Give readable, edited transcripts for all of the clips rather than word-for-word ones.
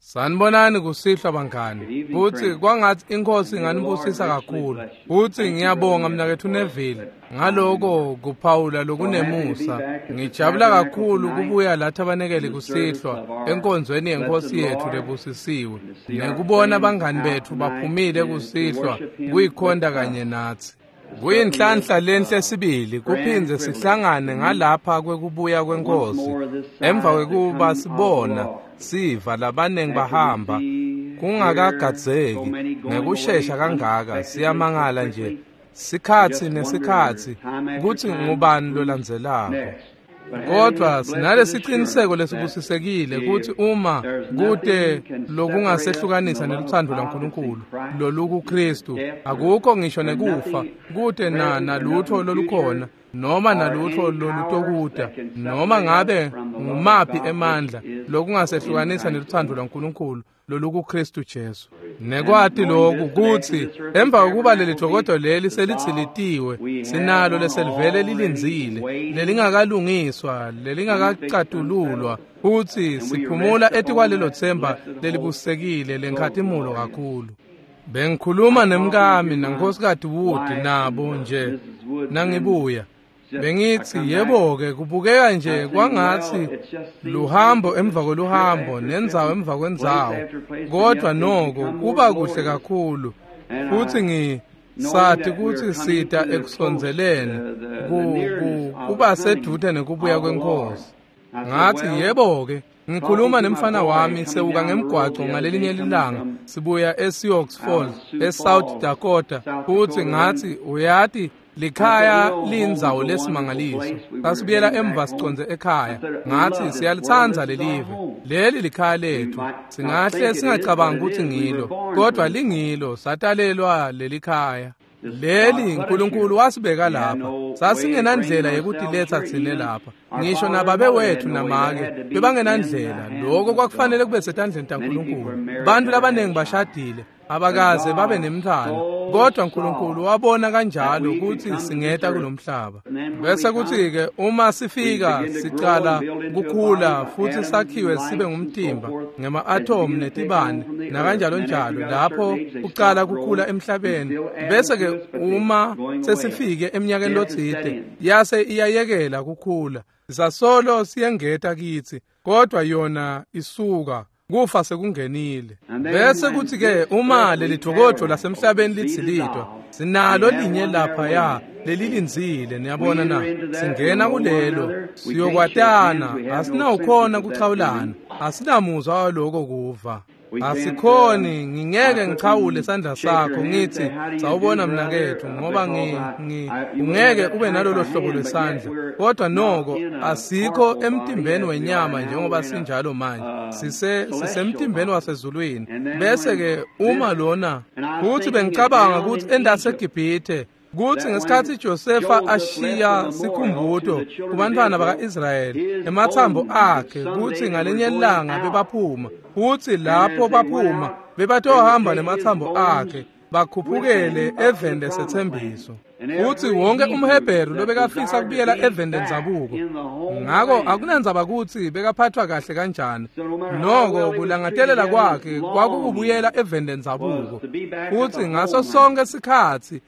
Sanibonani kusihlwa bangani. Futhi kwangathi inkosi inganibusisa kakhulu. Futhi ngiyabonga mnakethu Neville ngaloko kuphawula lokunemusa. Ngijabula kakhulu kubuya la thabanekele kusihlwa enkonzweni yenkosi yethu lebusisiwe. Nekubona abangani bethu baphumile kusihlwa kuyikhonda kanye nathi. Kuyinhlanhla lenhle sibili kuphindze sihlangane ngalapha kwekubuya kwenkosi emva kwekuba sibona siva labanengi bahamba kungakagadzeki ngekushesha kangaka. Siyamangala nje sikhatsi nesikhatsi kutsi ngubani lolandzelako. Kodwa sinalesiciniseko lesibusisekile kutsi uma kute lokungasehlukanisa neluthando lwaNkulunkulu lolukuKristu, akukho ngisho nekufa, kute nalutho lolukhona noma nalutho lolutokuta, noma ngabe ngumaphi emandla lokungasehlukanisa neluthando lwaNkulunkulu lolukuKristu Jesu. Nekwati lokhu kutsi emva kokuba leli jokodo leli selitsilitiwe, sinalo leselivele lilindzile, lelingakalungiswa, lelingakacatululwa, futsi siphumula etikwalelo themba lelibusekile lenkhatimulo kakhulu. Bengikhuluma nemkami nankosikazi Wood nabo nje nangibuya. Bengithi yebo-ke kubukeka nje kwangatsi luhambo emva kweluhambo nendzawo emva kwendzawo, kodwa noko kuba kuhle kakhulu. Futhi ngisati kutsi sita ekusondzeleni kuba seduze nekubuya kwenkosi. Ngathi yebo-ke ngikhuluma nemfana wami sewuka ngemgwaco ngalelinye lilanga sibuya eSioux Falls eSouth Dakota, futhi ngathi uyati likhaya lindzawo lesimangaliso. Sasibuyela emva siconze ekhaya. Ngathi siyalithanda lelive, leli likhaya lethu. Singahle singacabangi ukuthi ngilo, kodwa lingilo, satalelwa lelikhaya. Leli uNkulunkulu wasibeka lapha. Sasingenandlela yekutiletsa tsine lapha. Ngisho nababe wethu namake bebangenandlela. Lokho kwakufanele kube setandleni taNkulunkulu. Bantu labanengi bashadile, abakaze babe nemntwana, kodwa uNkulunkulu wabona kanjalo ukuthi singeta kulomhlaba. Bese kuthi-ke uma sifika sicala kukhula futhi sakhiwe sibe ngumtimba ngema-atomu netibane nakanjalo njalo, lapho kucala kukhula emhlabeni. Bese-ke uma sesifike eminyakeni lotsite yase iyayekela kukhula, sasolo siyengeta kitsi, kodwa yona isuka kufa sekungenile. Bese kuthi-ke uma leli jokojo lasemhlabeni litsilitwa, sinalo linye laphaya lelilindzile. Niyabona na? Singena kulelo siyokwatana, asinawukhona kuchawulana, asinamuzwa waloko kuva. Asikhoni, ngingeke ngichawule sandla sakho ngithi sawubona mnakethu, ngoba ungeke ube nalolo hlobo lwesandla. Kodwa noko asikho emtimbeni wenyama njengoba sinjalo manje, sisemtimbeni wasezulwini. Bese-ke uma lona, futhi bengicabanga ukuthi endaseGibhithe, kuthi ngesikhathi Josefa ashiya sikhumbuto kubantwana baka-Israyeli emathambo akhe, kuthi ngalenye ilanga bebaphuma, futhi lapho baphuma bebatohamba nemathambo akhe bakhuphukele eveni lesethembiso. Futhi wonke umHebheru lobekafisa kubuyela eveni lendzabuko. Ngako akunandzaba kutsi bekaphathwa kahle kanjani, noko kulangatelela kwakhe kwakukubuyela eveni lendzabuko. Futhi ngaso sonke sikhatsi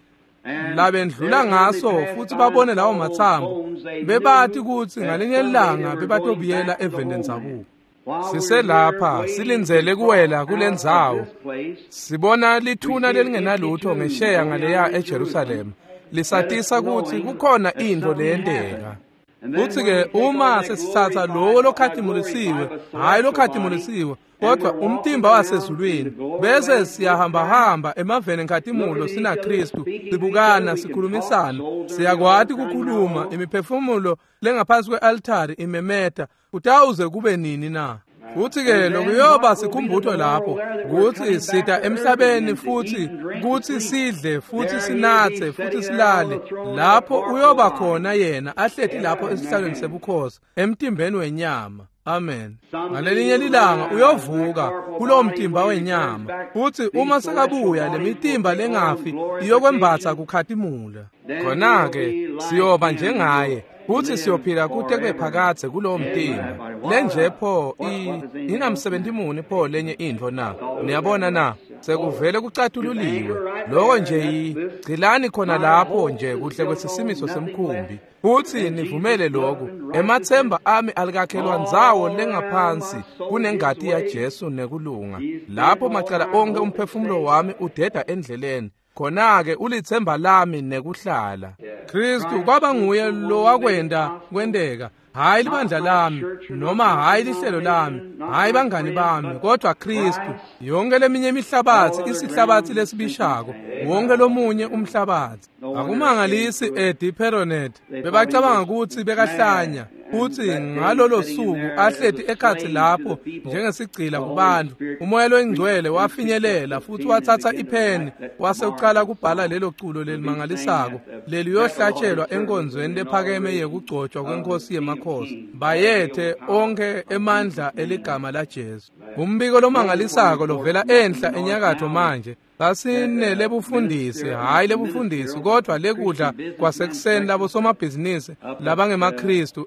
labendlula ngaso futhi babone lawo mathambo, bebati kutsi ngalinye ilanga bebatobuyela eveni lendzabuko. Siselapha silindzele kuwela kulendzawo, sibona lithuna lelingenalutho ngesheya ngaleya eJerusalema, lisatisa kutsi kukhona intfo leyenteka. Kuthi-ke uma sesithatha lowo lokhatimulisiwe, hhayi lokhatimulisiwe, kodwa umtimba wasezulwini, bese siyahambahamba emaveni enkhatimulo sinaKristu, sibukana, sikhulumisana, siyakwati kukhuluma, imiphefumulo lengaphansi kwe-altari imemeta, kutawuze kube nini na? Futhi-ke lokuyoba sikhumbuto lapho kutsi sita emhlabeni futhi kutsi sidle futhi sinatse futhi silale. Lapho uyoba khona yena ahleti lapho esihlalweni sebukhosi emtimbeni wenyama. Amen. Ngalelinye lilanga uyovuka kulowo mtimba wenyama, futhi uma sekabuya lemitimba lengafi iyokwembatsa kukhatimula. Khona-ke siyoba njengaye. Futhi siyophila kute kube phakadze kulowo mtimba. Lenje pho inamsebenzi muni pho lenye intfo na? Niyabona na? Sekuvele kucatululiwe. Lokho nje gcilani khona lapho nje kuhle kwesisimiso semkhumbi. Futhi nivumele lokhu. Emathemba ami alikakhelwa ndzawo lengaphansi kunengati yaJesu nekulunga. Lapho macala onke umphefumulo wami udeda endleleni. Khona-ke ulithemba lami nekuhlala. Kristu kwaba nguye lo wakwenda kwenteka. Hayi libandla lami, noma hayi lihlelo lami, hayi bangani bami, kodwa Kristu. Yonke leminye imihlabathi isihlabathi lesibishako, wonke lomunye umhlabathi. Akumangalisi Eddie Peronet bebacabanga ukuthi bekahlanya, futhi ngalolo suku ahleti ekhatsi lapho njengesigcila kubantu. Umoya loyingcwele wafinyelela futhi wathatha ipheni wase uqala kubhala lelo culo lelimangalisako leliyohlatshelwa enkonzweni lephakeme yekugcotshwa kwenkosi yemakhosi. Bayethe onke emandla eligama laJesu. Umbiko lomangalisako lovela enhla enyakatho manje. Sasinelebufundisi, hayi lebufundisi, kodwa lekudla kwasekuseni labo somabhizinisi labangemaKristu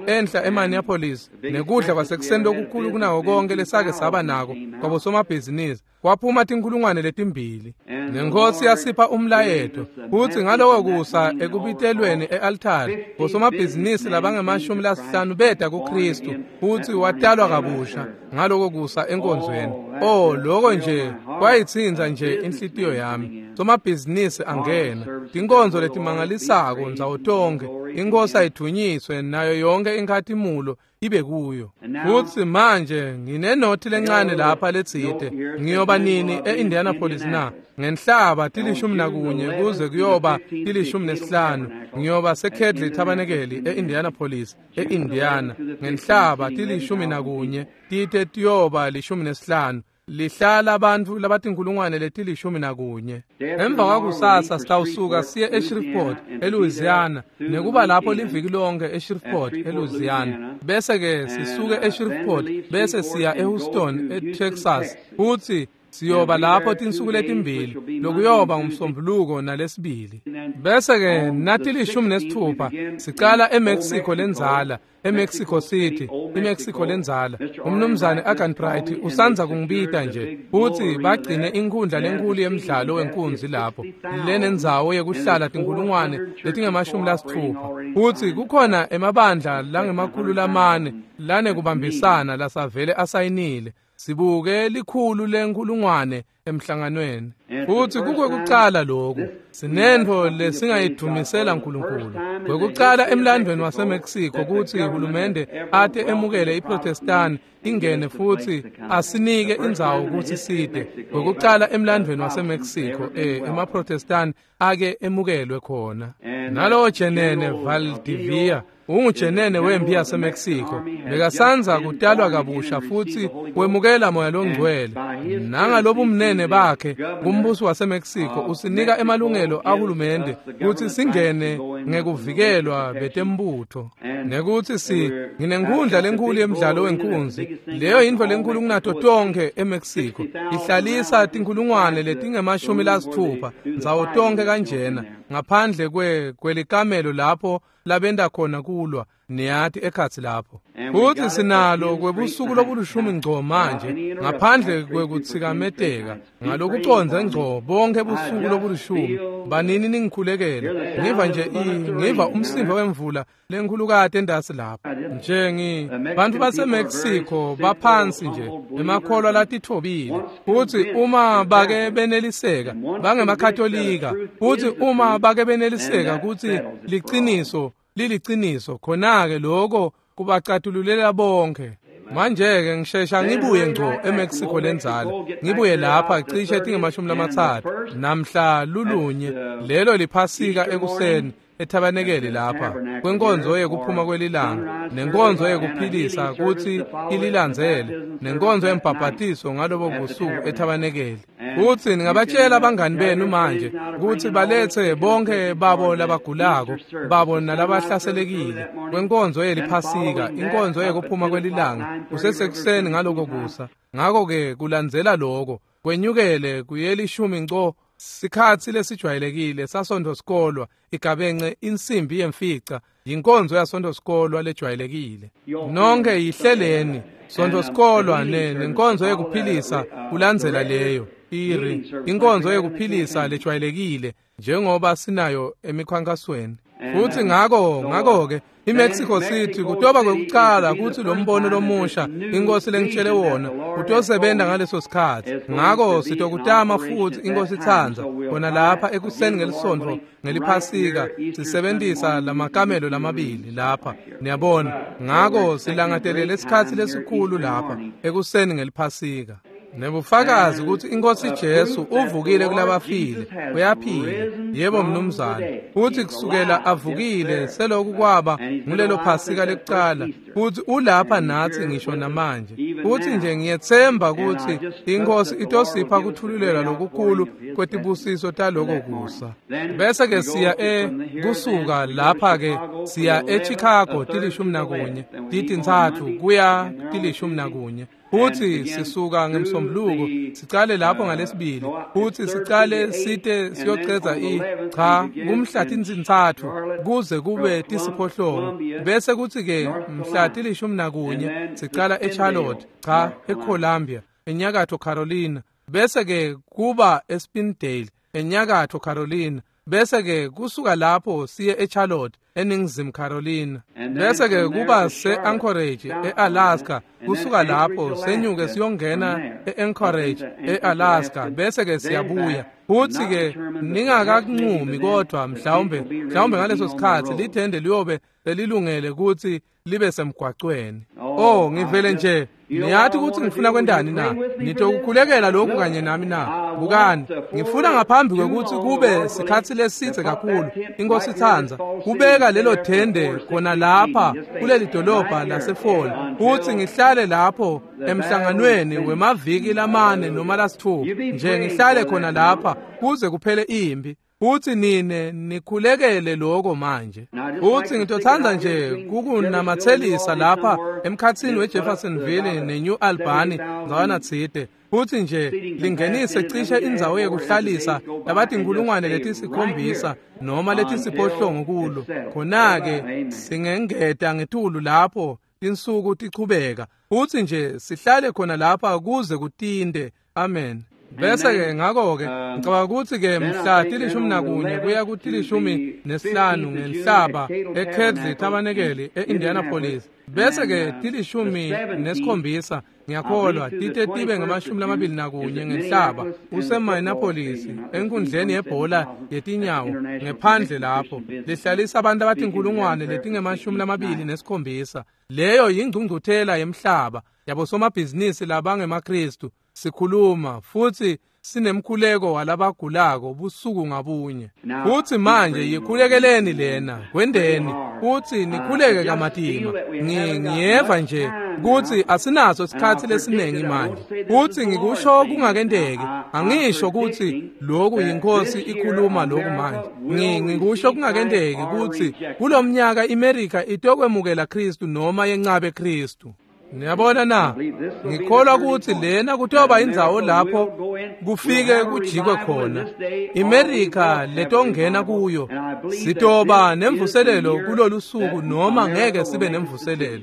enhla eMinneapolis, nekudla kwasekuseni lokukhulu kunawo konke lesake saba nako kwabo somabhizinisi. Kwaphuma tinkulungwane letimbili. Nenkosi yasipha umlayeto futhi ngaloko kusa ekubitelweni e-altari bosomabhizinisi labangemashumi lasihlanu beda kuKristu futhi watalwa kabusha ngaloko kusa enkonzweni. Oh, lokho nje kwayitsinza nje inhlitiyo yami. Somabhizinisi angena tinkonzo letimangalisako ndzawo tonke. Inkosi ayithunyiswe nayo yonke inkhatimulo ibe kuyo. Futhi manje nginenothi lencane lapha letsite. Ngiyoba nini e-Indianapolis na? Ngenhlaba 11 kuze kuyoba 15. Ngiyoba seKedley Tabernacle e-Indianapolis, e-Indiana. Ngenhlaba 11 tite tiyoba 15. Lihlala abantu labatinkulungwane leti-11. Emva kwakusasa sitawusuka siye eShreveport, eLouisiana, nekuba lapho liviki lonke eShreveport, eLouisiana. Bese ke sisuke eShreveport bese siya eHouston, eTexas. Futhi siyoba lapho tinsuku letimbili, lokuyoba ngumsombuluko nalesibili. Bese ke nathi 16 sicala eMexico lenzala, eMexico City, iMexico lenzala. Umnumzane Agan Bright usanza kungibita nje futhi bagcine inkhundla lenkulu yemidlalo wenkunzi lapho lenendzawo yekuhlala tinkulungwane letingama-60. Futhi kukhona emabandla langama-400 lanekubambisana lasavele asayinile. Sibuke likhulu lenkulungwane emhlanganweni. Futhi kukwekucala lokhu sinentfo lesingayidumisela uNkulunkulu. Kwekucala emlandweni waseMexico kutsi uhulumende ate emukele iProtestant ingene futhi asinike indzawo kutsi side. Kwekucala emlandweni waseMexico emaProtestant ake emukelwe khona. Nalowo Jenene Valdivia ungujenene wempi yaseMexico, bekasanza kutalwa kabusha futhi wemukela moya longcwele. Nangalobumnene bakhe kumbuso waseMexico usinika emalungelo ahulumende kutsi singene ngekuvikelwa betembutho, nekuthi nginenkhundla lenkulu yemidlalo wenkunzi. Leyo yintfo lenkulu kunato tonke eMexico. Ihlalisa tinkulungwane letingama-60 ndzawo tonke kanjena, ngaphandle kwelikamelo lapho labenda khona kulwa niyati ekhatsi lapho. Futhi sinalo kwebusuku lobulishumi ngco manje, ngaphandle kwekutsikameteka ngalokucondze ngco bonke busuku lobulishumi. Banini ningikhulekele. Ngiva nje ngiva umsindo wemvula lenkhulukati endasi lapho. Nje bantu baseMexico baphansi nje emakholwa latithobile. Futhi uma bake beneliseka bangemakatolika, futhi uma bake beneliseka kutsi liciniso liliciniso, khona-ke lokho kubacatululela bonke. Manje-ke ngishesha ngibuye ngco eMexico lenzala, ngibuye lapha cishe tinge-30 namhla lulunye lelo liphasika ekuseni ethabanekele lapha kwenkonzo yekuphuma kwelilanga, nenkonzo yekuphilisa kutsi ililandzele, nenkonzo yembhabhatiso ngalobo busuku ethabanekele. Futsi ningabatshela abangani benu manje kutsi balethe bonke babo labagulako babo nalabahlaselekile kwenkonzo yeliphasika, inkonzo yekuphuma kwelilanga kusesekuseni ngaloko kusa. Ngakho-ke kulandzela loko kwenyukele kuyelishumi ngco sikhatsi lesijwayelekile saSontfo sikolwa igabence insimbi yemfica. Yinkonzo yaSontfo-sikolwa lejwayelekile. Nonke yihleleni Sontfo-sikolwa nenkonzo yekuphilisa kulandzela leyo. Inkonzo yekuphilisa lejwayelekile njengoba sinayo emikhankasweni. Futhi ngakho-ke iMexico City kutoba kwekucala kutsi lo mbono lomusha inkosi lengitshele wona utosebenza ngaleso sikhathi. Ngakho sitokutama futhi inkosi itsandza khona lapha ekuseni ngelisontfo ngeliphasika sisebentisa lamakamelo lamabili lapha, niyabona. Ngakho silangatelele isikhatsi lesikhulu lapha ekuseni ngeliphasika. Nebufakazi ukuthi inkosi Jesu uvukile kulabafile, uyaphila. Yebo mnumzane. Futhi kusukela avukile seloku kwaba ngulelo phasika lekucala, futhi ulapha nathi ngisho namanje. Futhi nje ngiyethemba ukuthi inkosi itosipha kuthululelwa lokukhulu kwetibusiso taloko kusa. Bese ke siya kusuka lapha ke siya eChicago 11 3 kuya 11. Futhi sisuka ngemsombuluko sicale lapho ngalesibili, futhi sicale site siyoceza kumhla 3 kuze kube 9. Bese kuthi ke mhla 11 sicala eCharlotte, eColumbia, eNyakatfo Carolina. Bese ke kuba eSpindale, eNyakatfo Carolina. Bese ke kusuka lapho siye eCharlotte, eNingizimu Carolina. Bese ke kuba se-Anchorage, e-Alaska. Kusuka lapho senyuke siyongena e-Anchorage, e-Alaska. Bese ke siyabuya. Futhi ke ningakakunqumi kodwa mhlawumbe ngaleso sikhathi lithende liyobe selilungele ukuthi libe semgwaqweni. Oh, ngivele nje niyathi ukuthi ngifuna kwendani na? Nitokukhulekela lokhu kanye nami na? Bukani, ngifuna ngaphambi kwekuthi kube sikhathi lesithe kakhulu, inkosi itsandza, kubeka lelo thende khona lapha kuleli dolobha laseFall, futhi ngihlale lapho emhlanganweni wemaviki lamane noma lasithupha, nje ngihlale khona lapha kuze kuphele impi. Futhi nine nikhulekele lokho manje. Futhi ngitothanda nje kukunamathelisa lapha emkhathini weJeffersonville neNew Albany ndzawana tsite. Futhi nje lingenise cishe indzawo yekuhlalisa labatinkulungwane letisikhombisa noma letisiphohlongo kulo. Khona-ke singengeta ngetulu lapho tinsuku tichubeka. Futhi nje sihlale khona lapha kuze kutinde. Amen. Bese ke ngakho-ke ngicabanga ukuthi ke mhla 11 kuya ku-15 ngenhlaba eKedley Tabernacle e-Indianapolis. Bese ke 17 ngiyakholwa tite tibe ngama-21 ngenhlaba useMinneapolis enkundleni yebhola yetinyawo ngephandle lapho lihlalisa abantu abatinkulungwane letingama-27. Leyo yingcungcuthela yemhlaba yabosomabhizinisi labangemaKristu. Sikhuluma futhi sinemkhuleko walabagulako busuku ngabunye. Futhi manje yikhulekeleni lena kwendeni, futhi nikhuleke kamatima. Ngiyeva nje ukuthi asinaso isikhathi lesiningi manje. Futhi ngikusho kungakendeki, angisho ukuthi lokhu yinkosi ikhuluma lokhu manje. Ngikusho kungakendeki ukuthi kulomnyaka iMerika itokwemukela Kristu noma yencabe Kristu. Niyabona na? Ngikholwa ukuthi lena kutoba indzawo lapho kufike kujikwe khona. iMerika letongena kuyo sitoba nemvuselelo kulolu suku noma ngeke sibe nemvuselelo.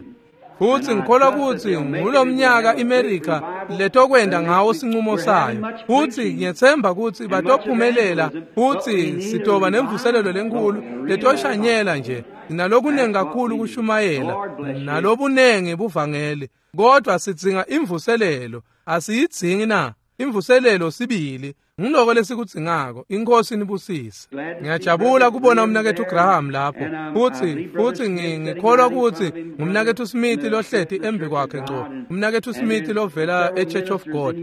Futhi ngikholwa ukuthi ngulomnyaka iMerika letokwenda ngawo sinqumo sayo. Futhi ngiyethemba ukuthi batophumelela, futhi sitoba nemvuselelo lenkulu letoshanyela nje. Nalokunengi kakhulu kushumayela, nalobunengi buvangeli, kodwa sidzinga imvuselelo. Asiyidzingi na? Imvuselelo sibili ngiloko lesikudzingako. Inkosi nibusise. Ngiyajabula kubona umnakethu Graham lapho. Futhi ngikholwa ukuthi ngumnakethu Smith lohleti embi kwakhe ngco, umnakethu Smith lovela eChurch of God.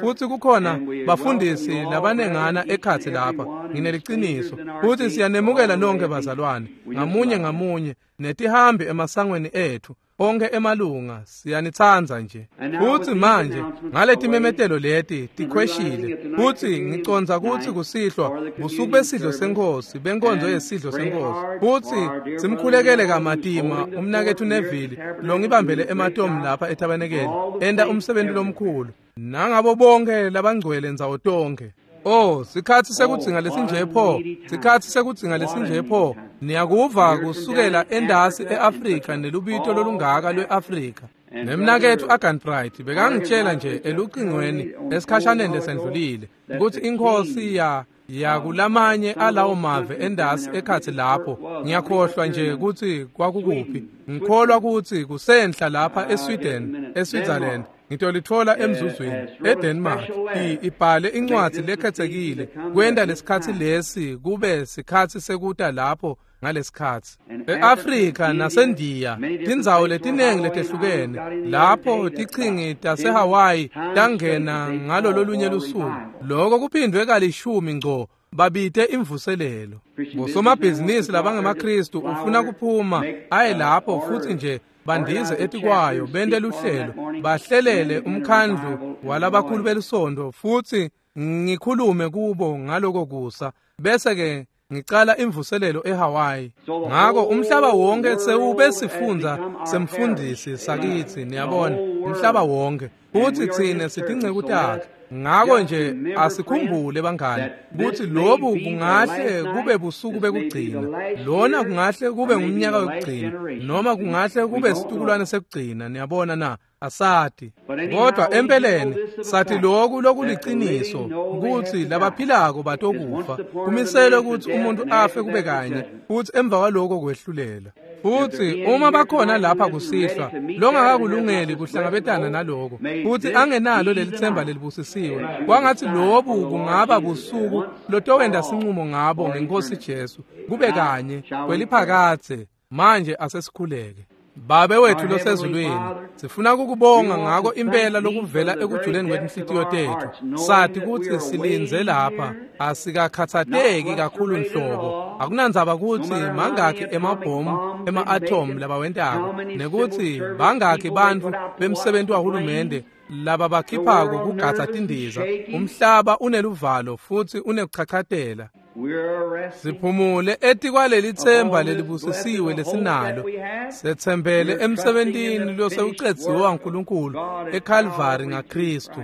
Futhi kukhona bafundisi labanengana ekhathi lapha. Ngineliciniso futhi siyanemukela nonke bazalwane, ngamunye ngamunye, netihambi emasangweni ethu onke emalunga, siyanitsandza nje. Futhi manje ngaleti memetelo leti tikhweshile, futhi ngicondza ukuthi kusihlwa busuku besidlo senkosi, benkonzo yesidlo senkosi. Futhi simkhulekele kamatima umnakethu Neville longibambele ematomu lapha etabenekele, enta umsebenzi lomkhulu, nangabo bonke labangcwele ndzawo tonke. Oh, sikhatsi sekudzinga lesinje pho, sikhatsi sekudzinga lesinje pho. Niyakuva kusukela endasi e-Afrika nelubito lolungaka lwe-Afrika. Nemnaketfu Aganbright bekangitshela nje elucingweni esikhashaneni lesendlulile ukuthi inkosi ya kulamanye alawo mave endasi ekhatsi lapho. Ngiyakhohlwa nje ukuthi kwakukuphi. Ngikholwa ukuthi kusenhla lapha eSweden, eSwitzerland. Ngitolithola emzuzwini eDenmark. Ibhale incwadi lekhetsekile kwenta lesikhatsi lesi kube sikhatsi sekuta lapho ngalesikhatsi. E-Afrika naseNdiya tindzawo letinengi letehlukene lapho tichingi taseHawaii tangena ngalololunye lusuku. Lokho kuphindwe kalishumi ngco babite imvuselelo. Bosomabhizinisi labangemaKristu ufuna kuphuma aye lapho futhi nje bandize etikwayo bente luhlelo bahlelele umkhandlu walabakhulu belisonto futhi ngikhulume kubo ngaloko kusa bese ke ngicala imvuselelo eHawaii. Ngako umhlaba wonke sewube sifundza semfundisi sakithi, niyabona, umhlaba wonke futhi tsine sitinceku takhe. Ngako nje asikhumbule bangani ukuthi lobu kungahle kube busuku bekugcina, lona kungahle kube ngumnyaka wekugcina, noma kungahle kube situkulwane sekugcina, niyabona na, asati. Kodwa empeleni sathi lokhu lokuliciniso ukuthi labaphilako batokufa, kumiselwe ukuthi umuntu afe kube kanye futhi emva kwaloko kwehlulela. Futhi uma bakhona lapha kusihlwa longakakulungeli kuhlangabetana naloko futhi angenalo leli themba lelibusisiwe, kwangathi lobu kungaba busuku lotowenda sinqumo ngabo ngenkosi Jesu kube kanye kweliphakathe. Manje asesikhuleke. Babe wethu losezulwini, sifuna ukukubonga ngako impela lokuvela ekujuleni kwetinhlitiyo tethu. Sathi ukuthi silinze lapha, asikakhathateki kakhulu nhlobo. Akunandzaba ukuthi mangakhi emabhomu ema-atom labawentako, nekuthi bangakhi bantfu bemsebenti wahulumende laba bakhiphako kugatsa tindiza. Umhlaba uneluvalo futhi unekuchachatela. Siphumule etikwaleli themba lelibusisiwe lesinalo. Sethembele emsebentini losewucedziwe waNkulunkulu eKalvari ngaKristu.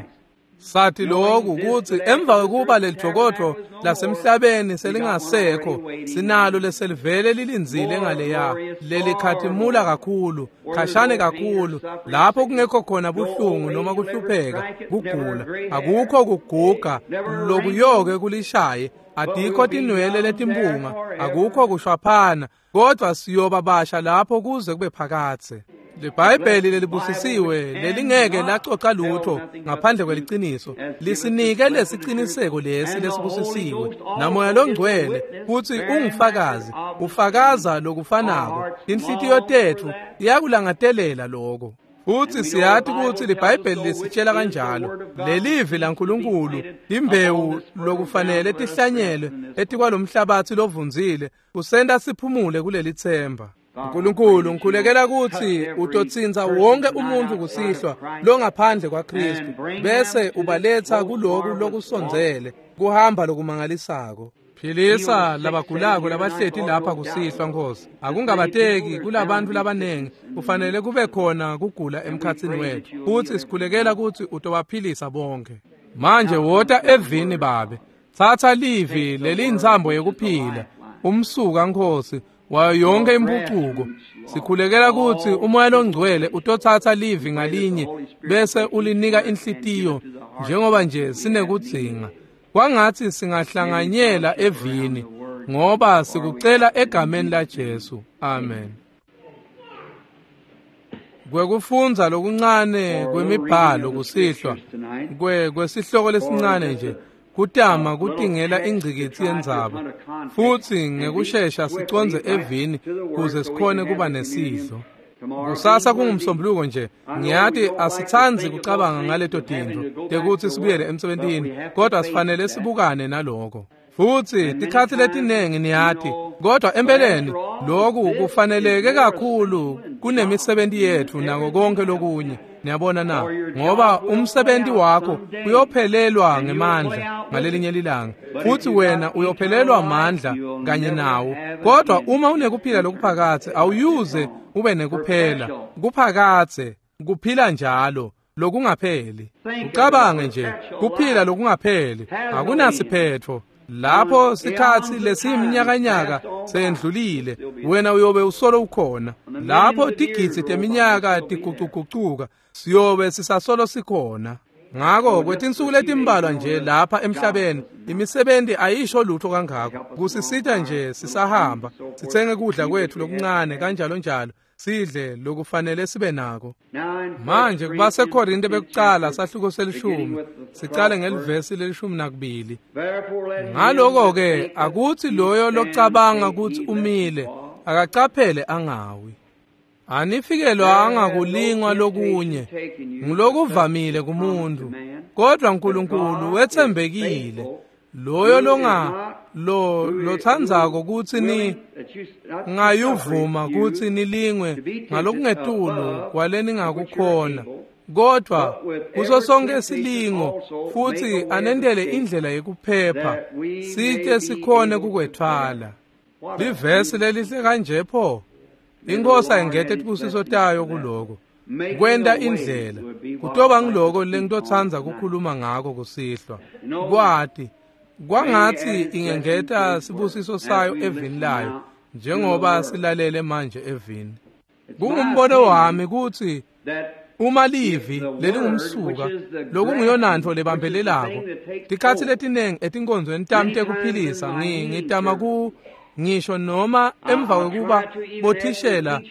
Sathi lokhu ukuthi emva kwekuba lelijokodvo lasemhlabeni selingasekho, sinalo leselivele lilindzile ngaleya lelikhatimula kakhulu, khashane kakhulu, lapho kungekho khona buhlungu noma kuhlupheka, kugula, akukho kuguga lokuyoke kulishaye, adikho tinwele letimpunga, akukho kushwaphana, kodwa siyoba basha lapho kuze kube phakathe. LiBhayibheli lelibusisiwe lelingeke lacoca lutho ngaphandle kweliciniso lisinike lesiciniseko lesi lesibusisiwe namoya longcwele futhi ungufakazi, ufakaza lokufanako. Inhlitiyo tetfu iyakulangatelela lokho. Futhi siyathi ukuthi liBhayibheli lisitshela kanjalo. Lelivi laNkulunkulu imbewu lokufanele tihlanyelwe etikwalomhlabathi lovundzile kusenta siphumule kuleli themba. Nkulunkulu, ngikhulekela ukuthi utotsinza wonke umuntu kusihlwa longaphandle kwaKristu bese ubaletha kuloku lokusondzele kuhamba lokumangalisako. Philisa labagulako labahleti lapha kusihlwa Nkosi. Akungabateki kulabantu labanengi kufanele kube khona kugula emkhatsini wethu. Futhi sikhulekela ukuthi utobaphilisa bonke. Manje wota evini Babe. Thatha livi leliyintsambo yekuphila. Umsuka Nkosi wayo yonke impucuko. Sikhulekela ukuthi umoya longcwele utothatha livi ngalinye bese ulinika inhlitiyo njengoba nje sinekudzinga. Kwangathi singahlanganyela evini ngoba sikucela egameni la Jesu. Amen. Kwekufundza lokuncane kwemibhalo kusihlwa kwesihloko lesincane nje kutama kutingela ingcikitsi yendzaba futhi ngekushesha sicondze evini kuze sikhone kuba nesidlo. Kusasa kungumsombuluko nje, ngiyati asitsandzi kucabanga ngaleto tintfo tekuthi sibuyele emsebentini, kodwa sifanele sibukane naloko. Futhi tikhatsi letinengi niyati, kodwa empeleni lokhu kufaneleke kakhulu kunemisebenti yetfu nako konke lokunye. Niyabona na, ngoba umsebenzi wakho uyophelelwa ngemandla ngalelinye lilanga, futhi wena uyophelelwa amandla kanye nawo. Kodwa uma unekuphila lokuphakathe awuyuze ube nekuphela kuphakathe, kuphila njalo. lokungapheli. Ucabange nje, kuphila lokungapheli akunasiphetho. Lapho sikhatsi lesiyiminyakanyaka sendlulile, wena uyobe usolo ukhona. Lapho tigidzi teminyaka tigucugucuka, siyobe sisasolo sikhona. Ngako kwetinsuku letimbalwa nje lapha emhlabeni, imisebenti ayisho lutho kangako. Kusisita nje sisahamba, sitsenge kudla kwethu lokuncane kanjalo njalo, sidle lokufanele sibe nako. Manje kubaseKorinte bekucala sahluko selishumi, sicale ngelivesi lelishumi nakubili. Ngaloko-ke akutsi loyo locabanga kutsi umile akacaphele angawi. Anifikelwanga kulingwa lokunye, ngulokuvamile kumuntu, kodwa uNkulunkulu wetsembekile. Loyo lotsandzako kutsi ni ngayuvuma kutsi nilingwe ngalokungetulu kwaleningakukhona, kodwa kuso sonke silingo futsi anentele indlela yekuphepha, site sikhone kukwetfwala. Livesi lelihle kanje pho. Inkosi ayingete tibusiso tayo kuloko. Kwenta indlela kutoba ngiloko lengitotsandza kukhuluma ngako kusihlwa. Kwati kwangatsi ingengeta sibusiso sayo evini layo njengoba silalele manje evini. Kungumbono wami kutsi uma livi lelingumsuka lokunguyonantfo lebambelelako, tikhatsi letinengi etinkonzweni tami tekuphilisa ngitama ku ngisho noma emva kwekuba bothishela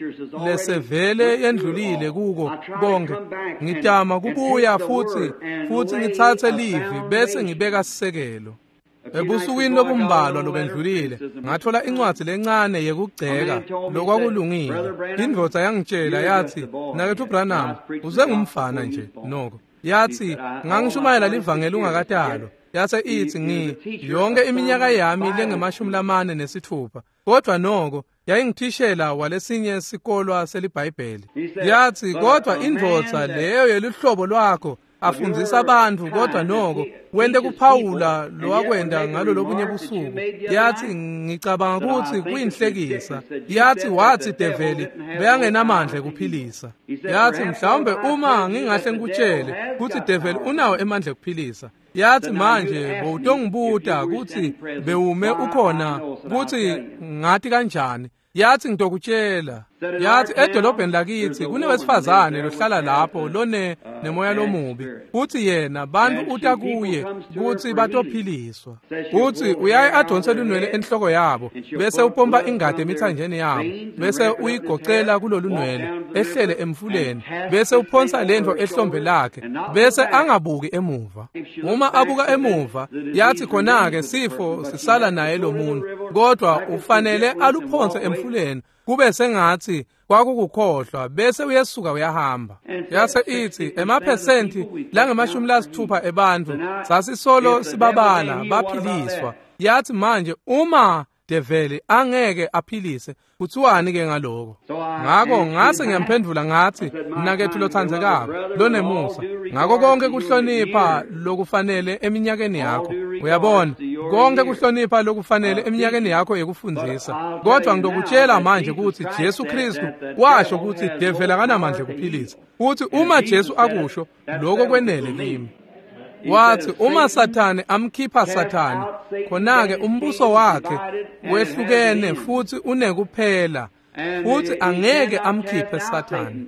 lesevele yendlulile kuko konke, ngitama kubuya futsi ngitsatse livi bese ngibeka sisekelo. Ebusukwini lobumbalwa lobendlulile ngathola incwadzi lencane yekugceka lokwakulungile. Indvodza yangitshela yathi, "Mnaketfu Branham, usengumfana nje noko." Yathi, "Ngangishumayela livangeli ungakatalwa." Yase ithi, yonke iminyaka yami lengemashumi lamane nesithupha, kodwa noko yayingithishela walesinye sikolwa seliBhayibheli. Yathi, "Kodwa indvodza leyo yeluhlobo lwakho afundzisa abantu, kodwa noko wente kuphawula lowakwenda ngalo lobunye busuku." Yathi, "Ngicabanga kutsi kuyinhlekisa." Yathi, wathi develi beyangenamandla ekuphilisa. Yathi, "Mhlawumbe uma ngingahle ngikutshele kutsi develi unawo emandla ekuphilisa." Yathi, "Manje bowutongibuta kutsi bewume ukhona kutsi ngati kanjani." Yathi, "Ngitokutshela." Yathi, "Edolobheni lakithi kunewesifazane lohlala lapho lone nemoya lomubi, futhi yena bantu uta kuye kutsi batophiliswa. Uthi uyaye adonse lunwele enhloko yabo, bese upompa ingadi emithanjeni yabo, bese uyigocela kulolunwele ehlele emfuleni, bese uphonsa lento ehlombe lakhe, bese angabuki emuva. Uma abuka emuva, yathi khona-ke sifo sisala naye lo muntu, kodwa ufanele aluphonse emfuleni kube sengathi kwakukukhohlwa, bese uyesuka uyahamba." Yase ithi, emaphesenti langemashumi lasithupha ebantfu sasisolo sibabala baphiliswa. Yathi, "Manje uma develi angeke aphilise, kuthiwani ke ngaloko?" Ngako ngase ngiyamphendvula ngathi, "Mnaketfu lotsandzekako lonemusa, ngako konke kuhlonipha lokufanele eminyakeni yakho, uyabona, konke kuhlonipha lokufanele eminyakeni yakho yekufundzisa, kodwa ngitokutshela manje kutsi Jesu Kristu washo kutsi develi akanamandla ekuphilisa, futhi uma Jesu akusho, lokho kwenele kimi." Wathi, "Uma Sathane amkhipha Sathane, khona-ke umbuso wakhe wehlukene futhi unekuphela, futhi angeke amkhiphe Sathane."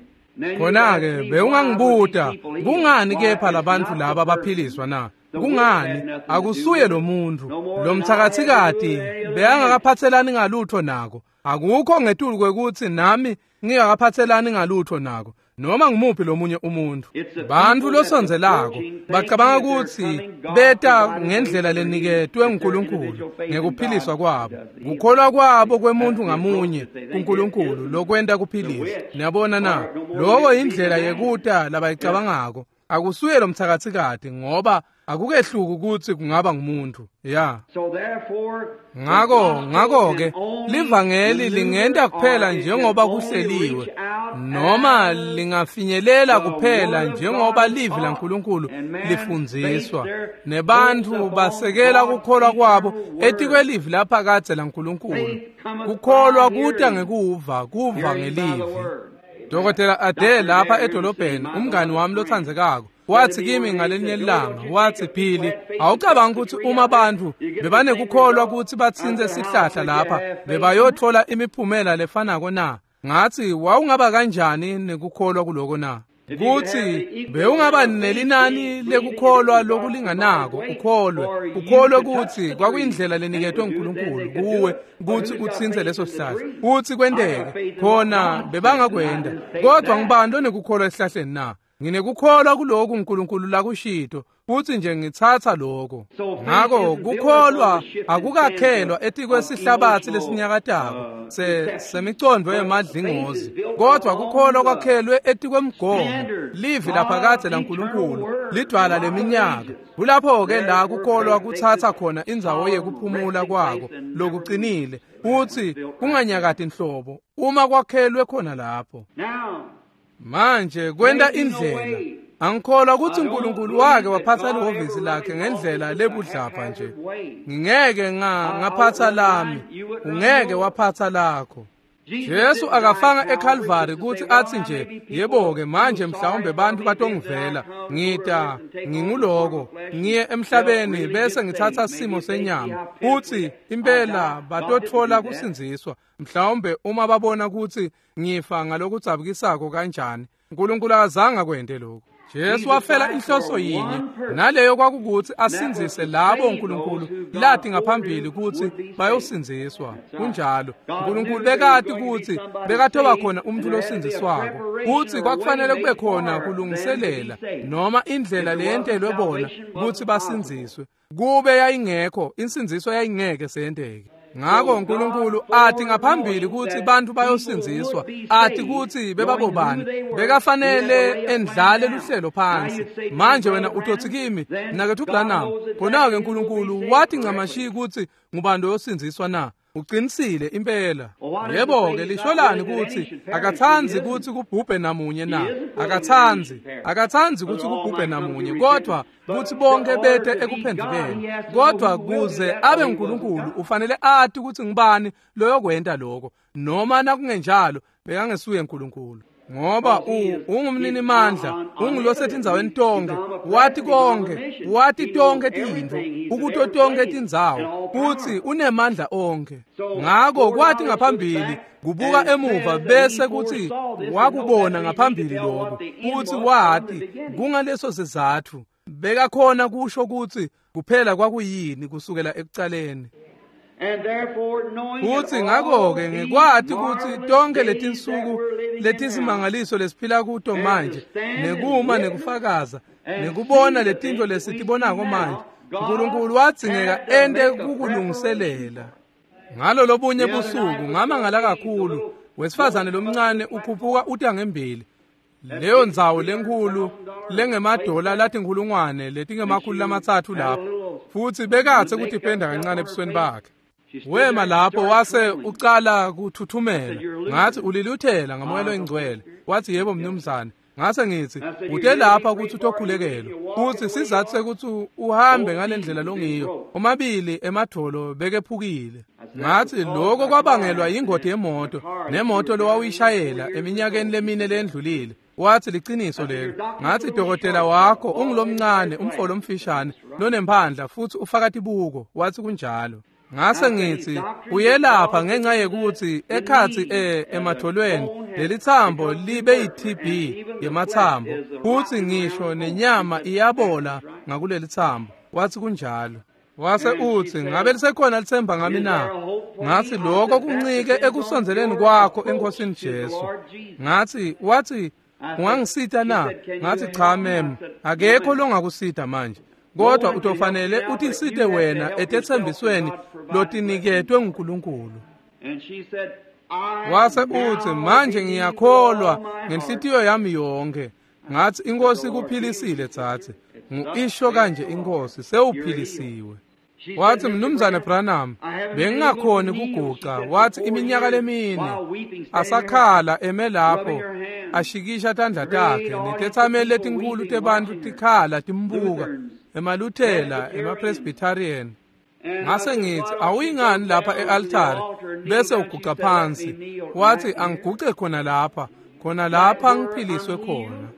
Khona-ke bewungangibuta, kungani kepha labantfu laba baphiliswa na? Kungani? Akusuye lo muntu. Lo mthakathikati beyangakaphathelani ngalutho nako. Akukho ngetulu kwekutsi nami ngingakaphathelani ngalutho nako, noma ngumuphi lomunye umuntu. Bantfu losondzelako bacabanga kutsi beta ngendlela leniketwe nguNkulunkulu ngekuphiliswa kwabo, kukholwa kwabo kwemuntu ngamunye kuNkulunkulu lokwenta kuphilisa. Niyabona na? Loko indlela yekuta labayicabangako. Akusuye lo mthakathikati, ngoba akukehluki kutsi kungaba ngumuntu. Ya. Ngako-ke livangeli lingenta kuphela njengoba kuhleliwe, noma lingafinyelela kuphela njengoba livi laNkulunkulu lifundziswa, nebantfu basekela kukholwa kwabo etikwelivi laphakadze laNkulunkulu. Kukholwa kuta ngekuva, kuva ngelivi. Dr. Ade lapha edolobheni, umngani wami lotsandzekako, wathi kimi ngalenye ilanga, wathi, Billy, awucabangi ukuthi uma abantu bebanekukholwa ukuthi batsintse sihlahla lapha bebayothola imiphumela lefanako na? Ngathi, wawungaba kanjani nekukholwa kuloko na? Kuthi bewungaba nelinani lekukholwa lokulinganako, ukholwe ukuthi kwakuyindlela leniketwe uNkulunkulu kuwe ukuthi utsintse leso sihlahla, uthi kwenteke khona bebangakwenda. Kodwa ngibani lonekukholwa esihlahleni na? Nginekukholwa kulokhu uNkulunkulu lakushito, futhi nje ngitsatsa lokho. Ngakho kukholwa akukakhelwa etikwesihlabathi lesinyakatako semicondvo yemadlingozi, kodwa kukholwa kwakhelwe etikwemgomo, livi laphakadze laNkulunkulu, lidwala leminyaka. Kulapho-ke la kukholwa kutsatsa khona indzawo yekuphumula kwako lokucinile, futhi kunganyakati nhlobo uma kwakhelwe khona lapho. Manje kwenta indlela. Angikholwa ukuthi uNkulunkulu wake waphatha lihhovisi lakhe ngendlela lebudlapha nje. Ngingeke ngaphatha lami, ungeke waphatha lakho. Jesu akafanga eCalvary ukuthi athi nje, yebo-ke manje mhlawumbe bantu batongivela, ngita nginguloko, ngiye emhlabeni bese ngithatha simo senyama, uthi impela batotfola kusindziswa, mhlawumbe uma babona ukuthi ngifa ngalokudzabukisako kanjani. uNkulunkulu akazange akwente lokho. Jesu wafela inhloso yinye, naleyo kwakukuthi asindzise labo uNkulunkulu lathi ngaphambili ukuthi bayosindziswa. Kunjalo, uNkulunkulu bekati ukuthi bekathoba khona umuntu losindziswako, futhi kwakufanele kube khona kulungiselela noma indlela leyentelwe bona ukuthi basindziswe. Kube yayingekho, insindziso yayingeke seyenteke. Ngakho uNkulunkulu athi ngaphambili ukuthi bantu bayosindziswa, athi ukuthi bebabobani, bekafanele endlale luhlelo phansi. Manje wena utothi kimi, mnakethu Branham, khona-ke uNkulunkulu wathi ncamashi ukuthi ngubani loyosindziswa na? Uqinisile impela. Yebo-ke, lisholani ukuthi akatsandzi ukuthi kubhubhe namunye na? Akatsandzi ukuthi kubhubhe namunye, kodwa kuthi bonke bete ekuphendukeni. Kodwa kuze abe uNkulunkulu ufanele athi ukuthi ngibani loyokwenta lokho, noma nakungenjalo bekangesuye uNkulunkulu. Ngoba ungumninimandla, ungulosetindzaweni tonke, wathi konke, wathi tonke tintfo, ukuto tonke tindzawo, futhi unemandla onke. Ngakho kwathi ngaphambili kubuka emuva bese kuthi wakubona ngaphambili lokho, futhi wathi kungaleso sizatfu bekakhona kusho ukuthi kuphela kwakuyini kusukela ekucaleni. Futhi ngakho-ke ngikwati ukuthi tonke letinsuku letisimangaliso lesiphila kuto manje, nekuma nekufakaza, nekubona letintfo lesitibonako manje, uNkulunkulu wadzingeka ente kukulungiselela. Ngalo lobunye busuku ngamangala kakhulu, wesifazane lomncane ukhuphuka uta ngembili. Leyo ndzawo lenkhulu lengemadola latinkhulungwane letingemakhulu 3 lapho, futhi bekathe kutipenda kancane ebusweni bakhe. Wema lapho wase ucala kuthuthumela. Ngathi, uliluthela ngamoya loyingcwele. Wathi, yebo mnumzane. Ngase ngithi, ute lapha ukuthi utokhulekelwa, futhi sizathu sekuthi uhambe ngalendlela longiyo, omabili emadolo bekephukile. Ngathi, lokho kwabangelwa yingodi yemoto, nemoto lowawuyishayela eminyakeni lemine lendlulile. Wathi, liciniso lelo. Ngathi, dokotela wakho ungulomncane, umfo lomfishane lonemphandla, futhi ufaka tibuko. Wathi, kunjalo. Ngase ngithi, uyelapha ngenxa yekuthi ekhathi ematholweni lelithambo libe yi-TB yemathambo, futhi ngisho nenyama iyabola ngakulelithambo. Wathi, kunjalo. Wase uthi, ngabe lisekhona lithemba ngami na? Ngathi, lokho kuncike ekusondzeleni kwakho eNkosini Jesu. Ngathi, wathi, ungangisita na? Ngathi, cha mem, akekho longakusita manje. Kodwa utofanele utisite wena etethembisweni lotiniketwe nguNkulunkulu. Wase uthi, manje ngiyakholwa ngenhlitiyo yami yonke. Ngathi, inkosi kuphilisile tsatsi. Ngisho kanje inkosi, sewuphilisiwe. Wathi, mnumzane Branham, bengingakhoni kuguca. Wathi, iminyaka lemine asakhala eme lapho, ashikisha tandla takhe, netethameli letinkulu tebantu tikhala timbuka, emaluthela, emapresbyterian. Ngase ngithi, awuyingani lapha e-altare bese uguca phansi? Wathi, angiguce khona lapha. Khona lapha ngiphiliswe khona.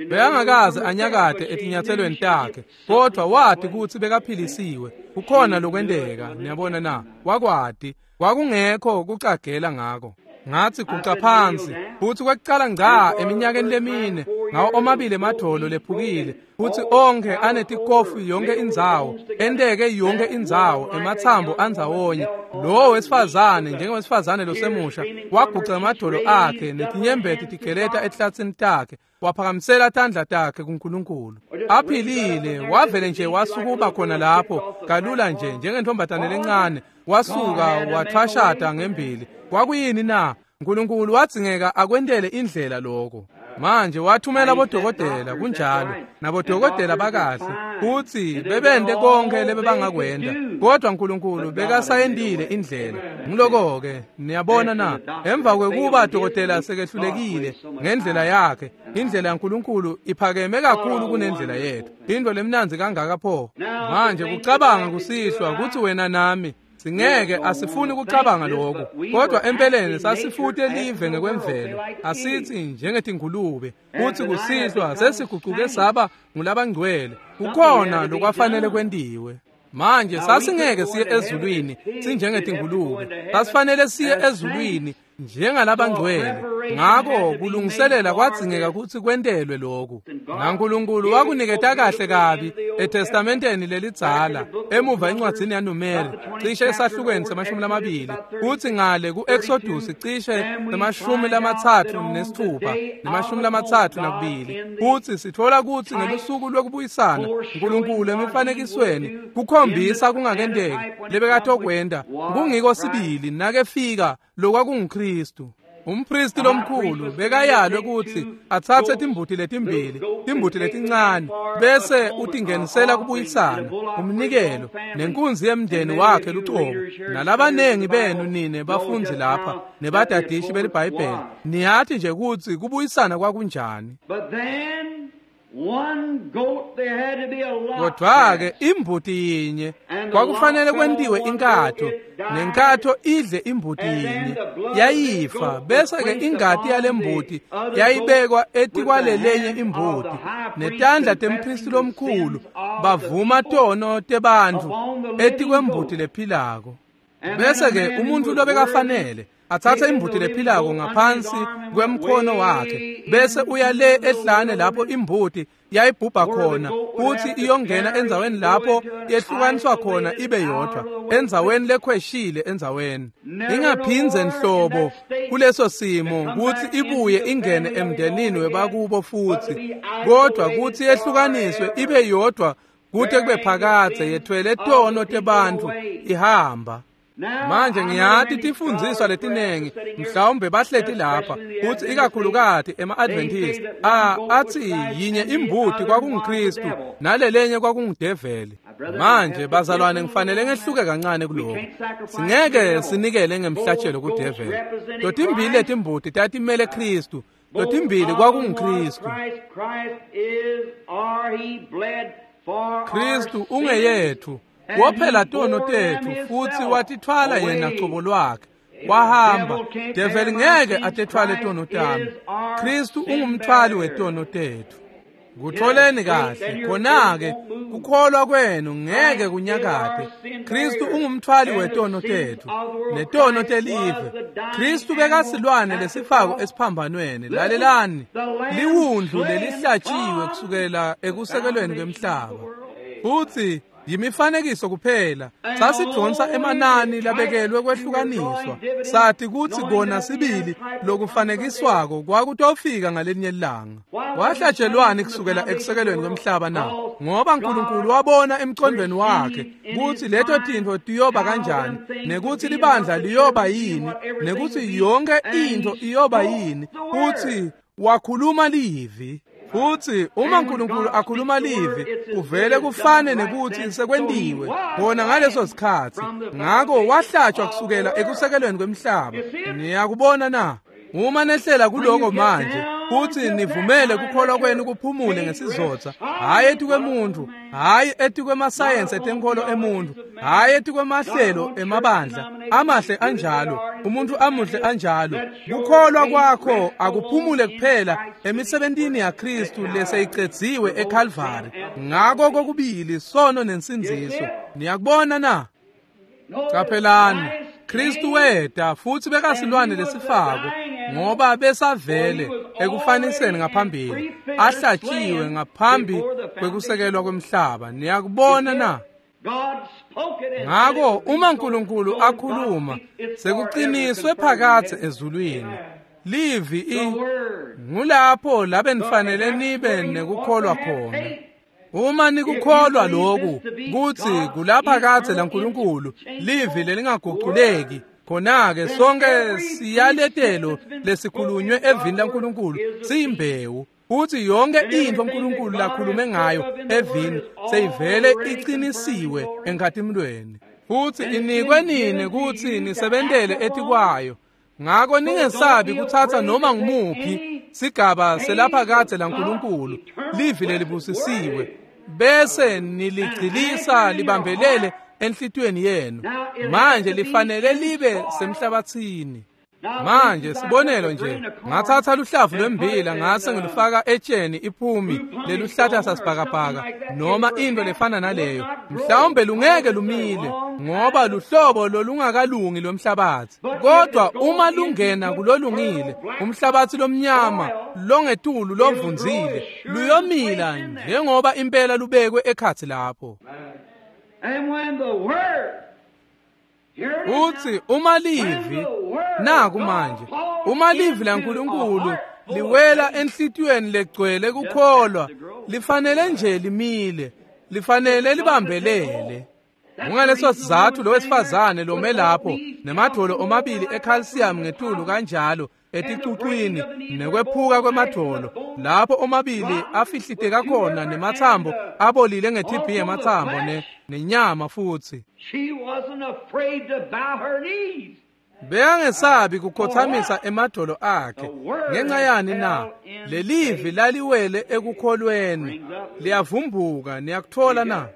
Bekangakaze anyakate etinyatselweni takhe, kodwa wati kutsi bekaphilisiwe. Kukhona lokwenteka, niyabona na? Wakwati, kwakungekho kucagela ngako. Ngathi guca phansi, futhi kwekucala ngca eminyakeni lemine, ngawo omabili emadvolo lephukile, futhi onke anetikofu yonke indzawo, enteke yonke indzawo, ematsambo andzawonye. Lowo wesifazane, njengowesifazane losemusha, waguca emadvolo akhe netinyembeti tigeleta etihlatsini takhe, waphakamisela tandla takhe kuNkulunkulu. Aphilile, wavele nje wasukuba khona lapho, kalula nje njengentombazane lencane, wasuka wathwashata ngembili. Kwakuyini na? uNkulunkulu wadzingeka akwentele indlela lokho. Manje wathumela bodokotela, kunjalo, nabodokotela bakahle, futhi bebente konke lebebangakwenta, kodwa uNkulunkulu bekasayendile indlela. Ngiloko-ke, niyabona na? Emva kwekuba dokotela sekehlulekile ngendlela yakhe, indlela yaNkulunkulu iphakeme kakhulu kunendlela yethu. Into lemnandzi kangaka pho. Manje kucabanga kusihlwa kutsi wena nami singeke asifuni ukucabanga lokho, kodwa empeleni sasifute live ngekwemvelo, asithi njengetingulube, kuthi kusihlwa sesiguquke saba ngulabangcwele. Kukhona lokwafanele kwentiwe. Manje sasingeke siye ezulwini sinjengetingulube, sasifanele siye ezulwini njengalabangcwele. Ngako kulungiselela kwadzingeka kutsi kwentelwe lokhu. NaNkulunkulu wakuniketa kahle kabi eTestamenteni lelidzala, emuva encwadzini yaNumeri, cishe esahlukweni se-20, kutsi ngale ku-Exodus cishe 36 ne-32, kutsi sitfola kutsi ngelusuku lwekubuyisana uNkulunkulu emifanekisweni kukhombisa kungakenteki lebekatokwenta kungiko sibili nakefika lokwakunguKristu. Umpristi lomkhulu bekayalwe kutsi atsatse timbuti letimbili, timbuti letincane, bese utingenisela kubuyisana, umnikelo, nenkunzi yemndeni wakhe lucobo. Nalabanengi benu nine bafundzi lapha nebadadishi beliBhayibheli, niyati nje kutsi kubuyisana kwakunjani. Kodwa-ke imbuti yinye kwakufanele kwentiwe inkatho, nenkatho idle imbuti yinye, yayifa, bese-ke ingati yalembuti yayibekwa etikwalelenye imbuti, netandla tempristi lomkhulu bavuma tono tebantfu etikwembuti lephilako. Bese-ke umuntu lobekafanele atsatse imbuti lephilako ngaphansi kwemkhono wakhe, bese uya le ehlane lapho imbuti yayibhubha khona, kuthi iyongena endzaweni lapho yehlukaniswa khona ibe yodwa, endzaweni lekhweshile, endzaweni ingaphindze nhlobo kuleso simo kutsi ibuye ingene emndenini webakubo futhi, kodwa kutsi yehlukaniswe ibe yodwa kute kube phakadze, yethwele tono tebantfu ihamba. Manje ngiyati tifundziswa letinengi mhlawumbe bahleti lapha kutsi ikakhulukati ema-Adventist athi yinye imbuti kwakunguKristu nalelenye kwakungudeveli. Manje bazalwane ngifanele ngehluke kancane kuloko. Singeke sinikele ngemhlatshelo kudeveli. Totimbili letimbuti tatimele Kristu, totimbili kwakunguKristu. Kristu ungeyethu, wophela tono tetfu futsi watithwala yena cobo lwakhe, wahamba. Develi ngeke atethwale tono tami. Kristu ungumthwali wetono tetfu. Kutholeni kahle, khona-ke kukholwa kwenu ngeke kunyakate. Kristu ungumthwali wetono tetfu netono telive. Kristu bekasilwane lesifako esiphambanweni. Lalelani, liwundlu lelihlatshiwe kusukela ekusekelweni kwemhlaba. Futsi yimifanekiso kuphela, sasidonsa emanani labekelwe kwehlukaniswa, sathi kutsi kona sibili lokufanekiswako kwakutofika ngalinye ilanga. Wahlatshelwani kusukela ekusekelweni kwemhlaba na? Ngoba uNkulunkulu wabona emcondweni wakhe kutsi leto tintfo tiyoba kanjani, nekutsi libandla liyoba yini, nekutsi yonke intfo iyoba yini, futsi wakhuluma livi. Futsi uma uNkulunkulu akhuluma livi, kuvele kufane nekutsi sekwentiwe khona ngaleso sikhatsi. Ngako wahlatshwa kusukela ekusekelweni kwemhlaba. Niyakubona na? Uma nehlela kuloko manje, Futhi nivumele kukholwa kwenu kuphumule ngesizotha, hhayi etikwemuntu, hhayi etikwemasayensi etenkolo emuntu, hhayi etikwemahlelo emabandla amahle anjalo, umuntu amuhle anjalo. Kukholwa kwakho akuphumule kuphela emisebentini yaKristu leseyicedziwe eKalvari. Ngako kokubili sono nensindziso. Niyakubona na? Caphelani, Kristu weta futhi bekasilwane lesifako ngoba besavele ekufaniseni ngaphambili, ahlatshiwe ngaphambi kwekusekelwa kwemhlaba. Niyakubona na? Ngako uma uNkulunkulu akhuluma, sekuqiniswe phakadze ezulwini. Livi ngulapho labe nifanele nibe nekukholwa khona. Uma nikukholwa lokhu kutsi kulapha kadze laNkulunkulu livi lelingaguculeki, khona-ke sonke siyaletelo lesikhulunywe evini laNkulunkulu siyimbewu, futhi yonke intfo uNkulunkulu lakhulume ngayo evini seyivele iqinisiwe enkhatimulweni, futhi inikwe nini kutsi nisebentele etikwayo. Ngako ningesabi kuthatha noma ngumuphi sigaba selapha kadze laNkulunkulu livi lelibusisiwe, bese niligcilisa libambelele enhlitiyweni yenu. Manje lifanele libe semhlabathini. Manje sibonelo nje, ngathatha luhlavu lwembila ngase ngilufaka etsheni iphumi leluhlata sasibhakabhaka noma into lefana naleyo, mhlawumbe lungeke lumile ngoba luhlobo lolungakalungi lomhlabathi. Kodwa uma lungena kulolungile umhlabathi lomnyama longetulu lovunzile, luyomila njengoba impela lubekwe ekhathi lapho. Uthi uma livi naku manje, uma livi laNkulunkulu liwela enhlitiyweni legcwele kukholwa, lifanele nje limile, lifanele libambelele. Kungaleso sizathu lo wesifazane lome lapho nemadvolo omabili ecalcium ngetulu kanjalo eticucwini nekwephuka kwemadvolo, lapho omabili afihliteka khona nemathambo abolile nge-TB yemathambo nenyama futhi. Bekangesabi kukhothamisa emadolo akhe. Ngenxa yani na? Lelivi laliwele ekukholweni, liyavumbuka. Niyakuthola na?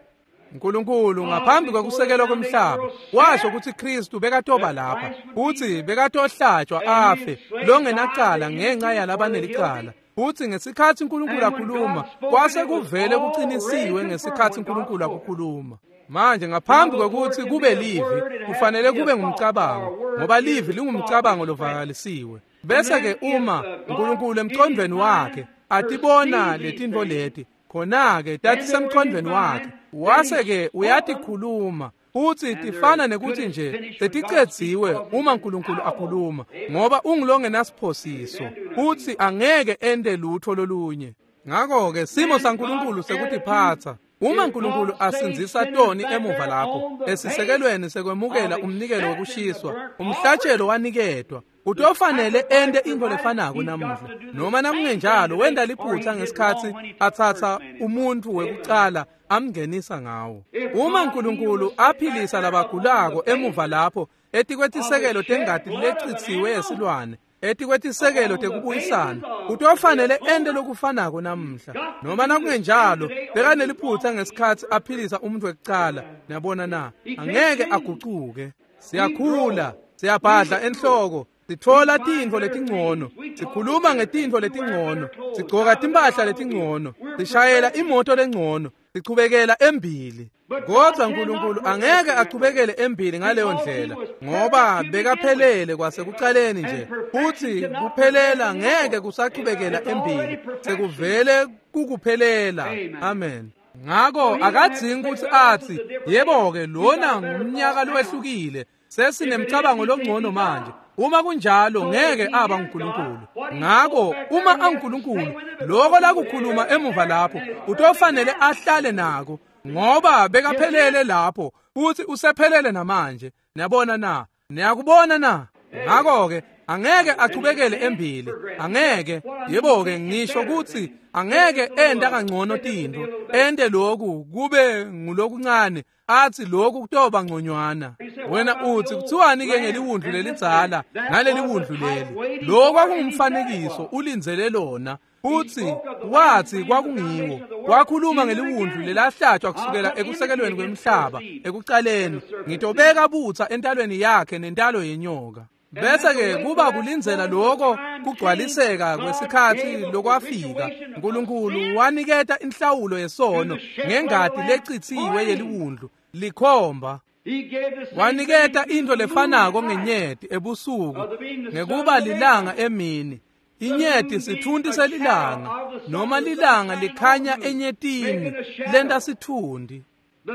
uNkulunkulu ngaphambi kwekusekelwa kwemhlaba washo ukuthi Kristu bekatoba lapha, futhi bekatohlatshwa afe longenacala ngenxa yalabanelicala. Futhi ngesikhathi uNkulunkulu akhuluma, kwase kuvele kuqinisiwe ngesikhathi uNkulunkulu akukhuluma. Manje ngaphambi kwekuthi kube livi, kufanele kube ngumcabango, ngoba livi lingumcabango lovakalisiwe. Bese ke uma uNkulunkulu emcondweni wakhe atibona letintfo leti, khona-ke tatisemcondweni wakhe, wase-ke uyatikhuluma, futhi tifana nekuthi nje seticedziwe uma uNkulunkulu akhuluma, ngoba ungulongenasiphosiso futhi angeke ente lutho lolunye. Ngako-ke simo saNkulunkulu sekutiphatsa. Uma uNkulunkulu asindzisa toni emuva lapho esisekelweni sekwemukela umnikelo wokushiswa, umhlatshelo waniketwa, kutofanele ente intfo lefanako namuhla. Noma nakungenjalo wenta liphutha ngesikhatsi atsatsa umuntfu wekucala amngenisa ngawo. Uma uNkulunkulu aphilisa labagulako emuva lapho etikwetisekelo tengati lecitsiwe yesilwane, etikwetisekelo tekubuyisana, kutofanele ente lokufanako namuhla. Noma nakungenjalo bekaneliphutha ngesikhatsi aphilisa umuntu wekucala. Niyabona na? Angeke agucuke. Siyakhula, siyabhadla enhloko, sitfola tintfo letingcono, sikhuluma ngetintfo letingcono, sigcoka timphahla letingcono, sishayela imoto lengcono, sichubekela embili. Kodwa uNkulunkulu angeke achubekele embili ngaleyo ndlela, ngoba bekaphelele kwasekucaleni nje, futhi kuphelela ngeke kusachubekela embili, sekuvele kukuphelela. Amen. Ngako akadzingi ukuthi athi, yebo-ke lona ngumnyaka lowehlukile, sesinemcabango longcono manje. Uma kunjalo ngeke aba nguNkulunkulu. Ngako uma anguNkulunkulu, lokho lakukhuluma emuva lapho utofanele ahlale nako, ngoba bekaphelele lapho futhi usephelele namanje. Niyabona na? Niyakubona na? Ngako-ke Angeke achubekele embili, angeke. Yebo-ke, ngisho kutsi angeke enta kangcono tintfo, ente loku kube ngulokuncane, athi lokhu kutoba ngconywana. Wena uthi kuthiwani-ke ngeliwundlu lelidzala naleli wundlu leli? Lo kwakungumfanekiso ulindzele lona. Futsi wathi kwakungiwo. Wakhuluma ngeliwundlu lelahlatshwa kusukela ekusekelweni kwemhlaba ekucaleni. Ngitobeka butsa entalweni yakhe nentalo yenyoka. Bese-ke kuba kulindzela lokho kugcwaliseka kwesikhatsi lokwafika. Nkulunkulu waniketa inhlawulo yesono ngengati lecitsiwe yeliwundlu likhomba. Waniketa intfo lefanako ngenyeti ebusuku ngekuba lilanga emini. Inyeti sitfunti selilanga, noma lilanga likhanya enyetini lenta sitfunti.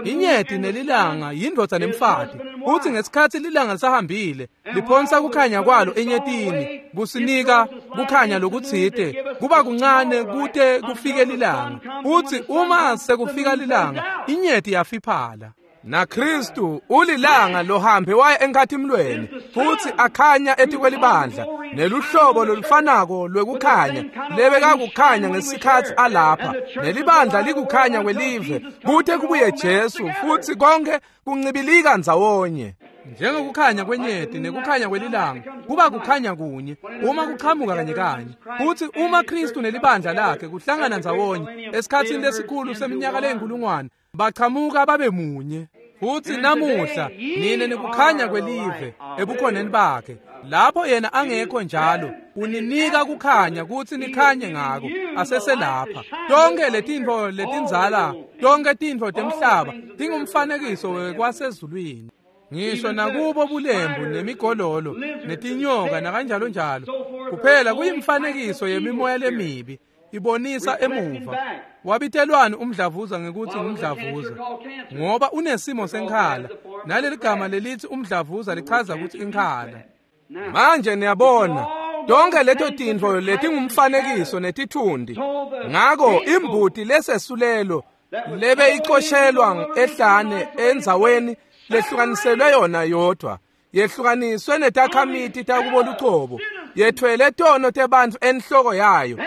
Inyeti nelilanga yindvodza nemfati. Futsi ngesikhatsi lilanga lisahambile, liphonsa kukhanya kwalo enyetini, kusinika kukhanya lokutsite, kuba kuncane kute kufike lilanga. Futsi uma sekufika lilanga, inyeti yafiphala. NaKristu ulilanga lohambe waya enkhatimlweni futsi akhanya etikwelibandla neluhlobo lolufanako lwekukhanya lebekakukhanya ngesikhatsi alapha, nelibandla likukhanya kwelive kute kubuye Jesu, futsi konke kuncibilika ndzawonye. Njengokukhanya kwenyeti nekukhanya kwelilanga kuba kukhanya kunye uma kuqhamuka kanye kanye. Futsi uma Kristu nelibandla lakhe kuhlangana ndzawonye esikhatsini lesikhulu seminyaka leyinkulungwane, bachamuka babe munye. Futsi namuhla nine nikukhanya kwelive ebukhoneni bakhe. Lapho yena angekho njalo, uninika kukhanya kutsi nikhanye ngako. Aseselapha. Tonke letintfo letindzala, tonke tintfo temhlaba tingumfanekiso wekwasezulwini. Ngisho nakubo bulembu nemigololo netinyoka nakanjalo njalo, kuphela kuyimfanekiso yemimoya lemibi ibonisa emuva. Wabitelwani umdlavuza ngekutsi ngumdlavuza? Ngoba unesimo senkhala, naleli gama lelithi umdlavuza lichaza kutsi inkhala. Manje niyabona tonke leto tintfo letingumfanekiso netitfundi. Ngako imbuti lesesulelo lebe icoshelwa ehlane endzaweni lehlukaniselwe yona yodwa, yehlukaniswe netakhamiti takubo lucobo, yethwele tono tebantfu enhloko yayo.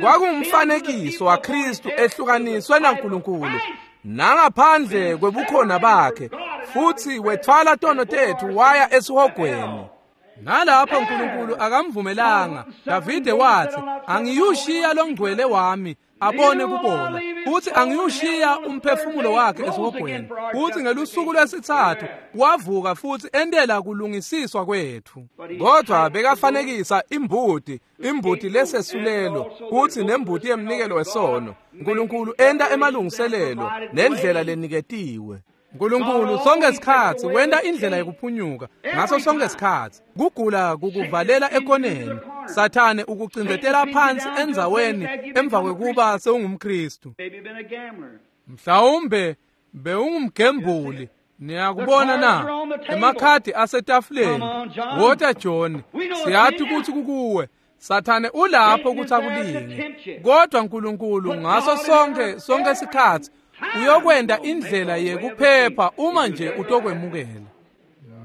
Kwakungumfanekiso waKristu ehlukaniswe naNkulunkulu nangaphandle kwebukhona bakhe, futsi wethwala tono tetfu waya esihogweni. Nalapho Nkulunkulu akamvumelanga. Davide wathi, angiyushiya longcwele wami abone kubola, futsi angiyushiya umphefumulo wakhe esihogweni. Futsi ngelusuku lwesitsatfu wavuka futsi entela kulungisiswa kwetfu. Kodwa bekafanekisa imbuti, imbuti lesesulelo, futsi nembuti yemnikelo wesono. Nkulunkulu enta emalungiselelo nendlela leniketiwe. Nkulunkulu sonke sikhatsi wenta indlela yekuphunyuka ngaso sonke sikhatsi. Kugula kukuvalela ekoneni, Sathane ukucindzetela phansi endzaweni emva kwekuba sewungumKristu. Mhlawumbe bewungumgembuli. Niyakubona na? Emakhadi asetafuleni. Wota John, siyathi kutsi kukuwe. Sathane ulapho kutsi akulinge. Kodwa Nkulunkulu ngaso sonke sikhatsi uyokwenta indlela yekuphepha uma nje utokwemukela.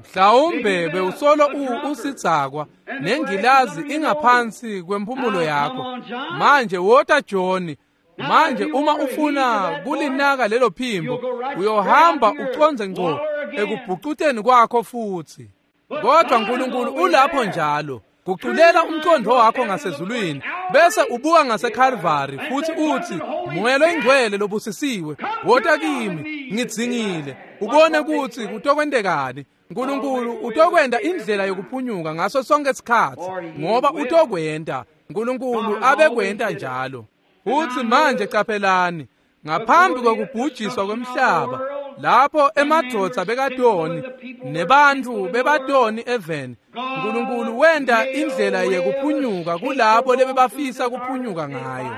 Mhlawumbe bewusolo usidzakwa nengilazi ingaphansi kwemphumulo yakho. Manje wota John, manje uma ufuna kulinaka lelo phimbo, uyohamba uconze ngco ekubhucuteni kwakho futsi. Kodwa Nkulunkulu ulapho njalo. Guculela umqondo wakho ngasezulwini bese ubuka ngaseKalvari futhi uthi, Moya loyingcwele lobusisiwe, wota kimi, ngidzingile. Ubone kutsi kutokwentekani. Nkulunkulu utokwenta indlela yokuphunyuka ngaso sonke sikhatsi, ngoba utokwenta. Nkulunkulu abekwenta njalo. Futhi manje qaphelani, ngaphambi kokubhujiswa kwemhlaba, lapho emadvodza bekatoni nebantfu bebatoni eveni, Nkulunkulu wenta indlela yekuphunyuka kulabo lebebafisa kuphunyuka ngayo.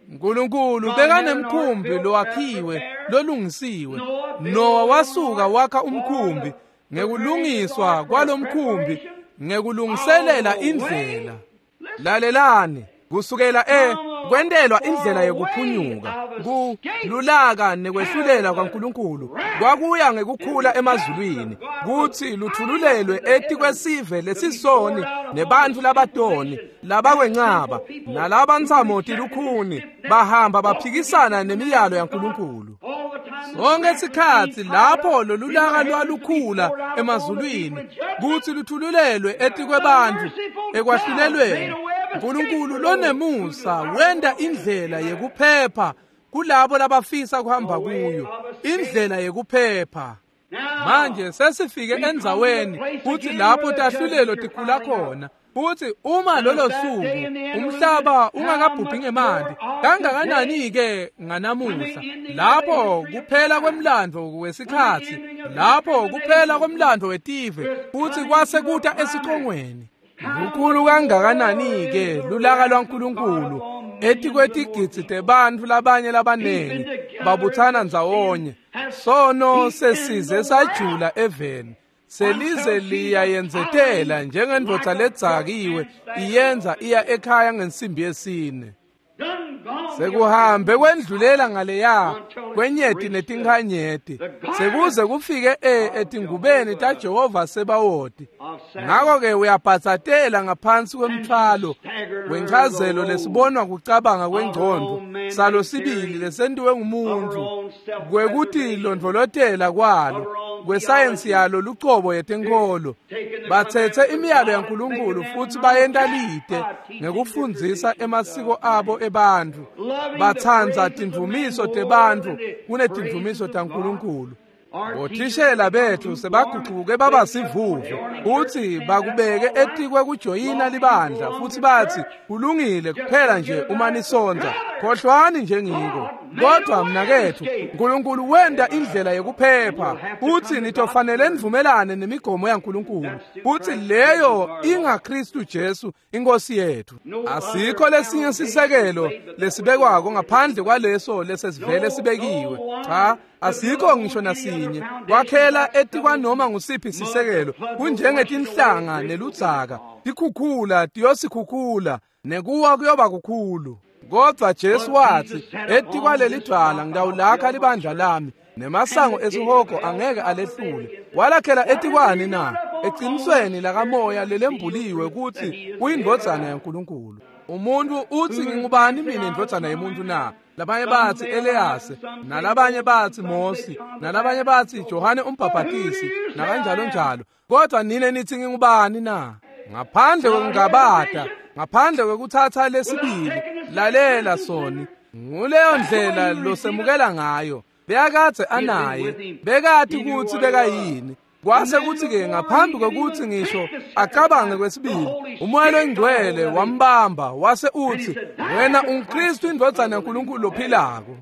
Nkulunkulu bekanemkhumbi lowakhiwe lolungisiwe. Noah wasuka wakha umkhumbi ngekulungiswa kwalomkhumbi, ngekulungiselela indlela. Lalelani, Kusukela kwentelwa indlela yekuphunyuka kululaka nekwehlulela kwaNkulunkulu kwakuya ngekukhula emazulwini kutsi luthululelwe etikwesive lesisoni nebantfu labatoni labakwencaba nalabantsamo tilukhuni bahamba baphikisana nemiyalo yaNkulunkulu. Sonke sikhatsi lapho lolulaka lwalukhula emazulwini kutsi luthululelwe etikwebantfu ekwahlulelweni, uNkulunkulu lonemusa wenta indlela yekuphepha kulabo labafisa kuhamba kuyo, indlela yekuphepha. Manje sesifike endzaweni kutsi lapho tahlulelo tikhula khona, futsi uma lolo suku umhlaba ungakabhubhi ngemanti, kangakanani-ke nganamuhla, lapho kuphela kwemlandvo wesikhatsi, lapho kuphela kwemlandvo wetive, futsi kwase kuta esicongweni. Lukhulu kangakanani-ke lulaka lwaNkulunkulu etikwetigidzi tebantfu labanye labanengi babutsana ndzawonye. Sono sesize sajula eveni, selize liyayendzetela njengendvodza ledzakiwe iyenza iya ekhaya ngensimbi yesine. Sekuhambe kwendlulela ngaleya kwenyeti netinkhanyeti, sekuze kufike etingubeni taJehova Sebawoti. Ngako-ke uyabhatsatela ngaphansi kwemthwalo wenchazelo lesibonwa kucabanga kwengcondvo salo sibili lesentiwe ngumuntu kwekutilondvolotela kwalo kwesayensi yalo lucobo yetenkholo. Batsetse imiyalo yaNkulunkulu futsi bayenta lite ngekufundzisa emasiko abo ebantfu. Batsandza tindvumiso tebantfu kunetindvumiso taNkulunkulu. Bothishela bethu sebagucuke baba sivuvu futsi bakubeke etikwe kujoyina libandla futsi batsi kulungile kuphela nje uma nisonza, khohlwani njengiko. Kodwa mnaketfu, uNkulunkulu wenta indlela yekuphepha futsi nitofanele nivumelane nemigomo yaNkulunkulu, futsi leyo ingaKristu Jesu inkosi yethu. Asikho lesinye sisekelo lesibekwako ngaphandle kwaleso lesesivele sibekiwe. Cha, asikho ngisho nasinye. Kwakhela etikwanoma ngusiphi sisekelo kunjengetinhlanga neludzaka, tikhukhula tiyosikhukhula nekuwa kuyoba kukhulu. Kodwa Jesu watsi, etikwaleli dvwala ngitawulakha libandla lami, nemasango esihogo angeke alehlule. Walakhela etikwani na? Ecinisweni lakamoya lelembuliwe kutsi uyindvodzana yaNkulunkulu. Umuntu utsi ngingubani mina indvodzana yemuntu na? Labanye batsi Eliyase, nalabanye batsi Mosi, nalabanye batsi Johane umbhabhatisi, nakanjalo njalo. Kodwa nine nithi ngingubani na? Ngaphandle kwekungabata, ngaphandle kwekutsatsa lesibili, lalela soni. Nguleyo ndlela losemukela ngayo. Bekadze anaye, bekati kutsi bekayini. Kwase kutsi-ke ngaphambi kwekutsi ngisho acabange kwesibili, uMoya loNgcwele wambamba wase utsi, wena unguKristu indvodzana yaNkulunkulu lophilako.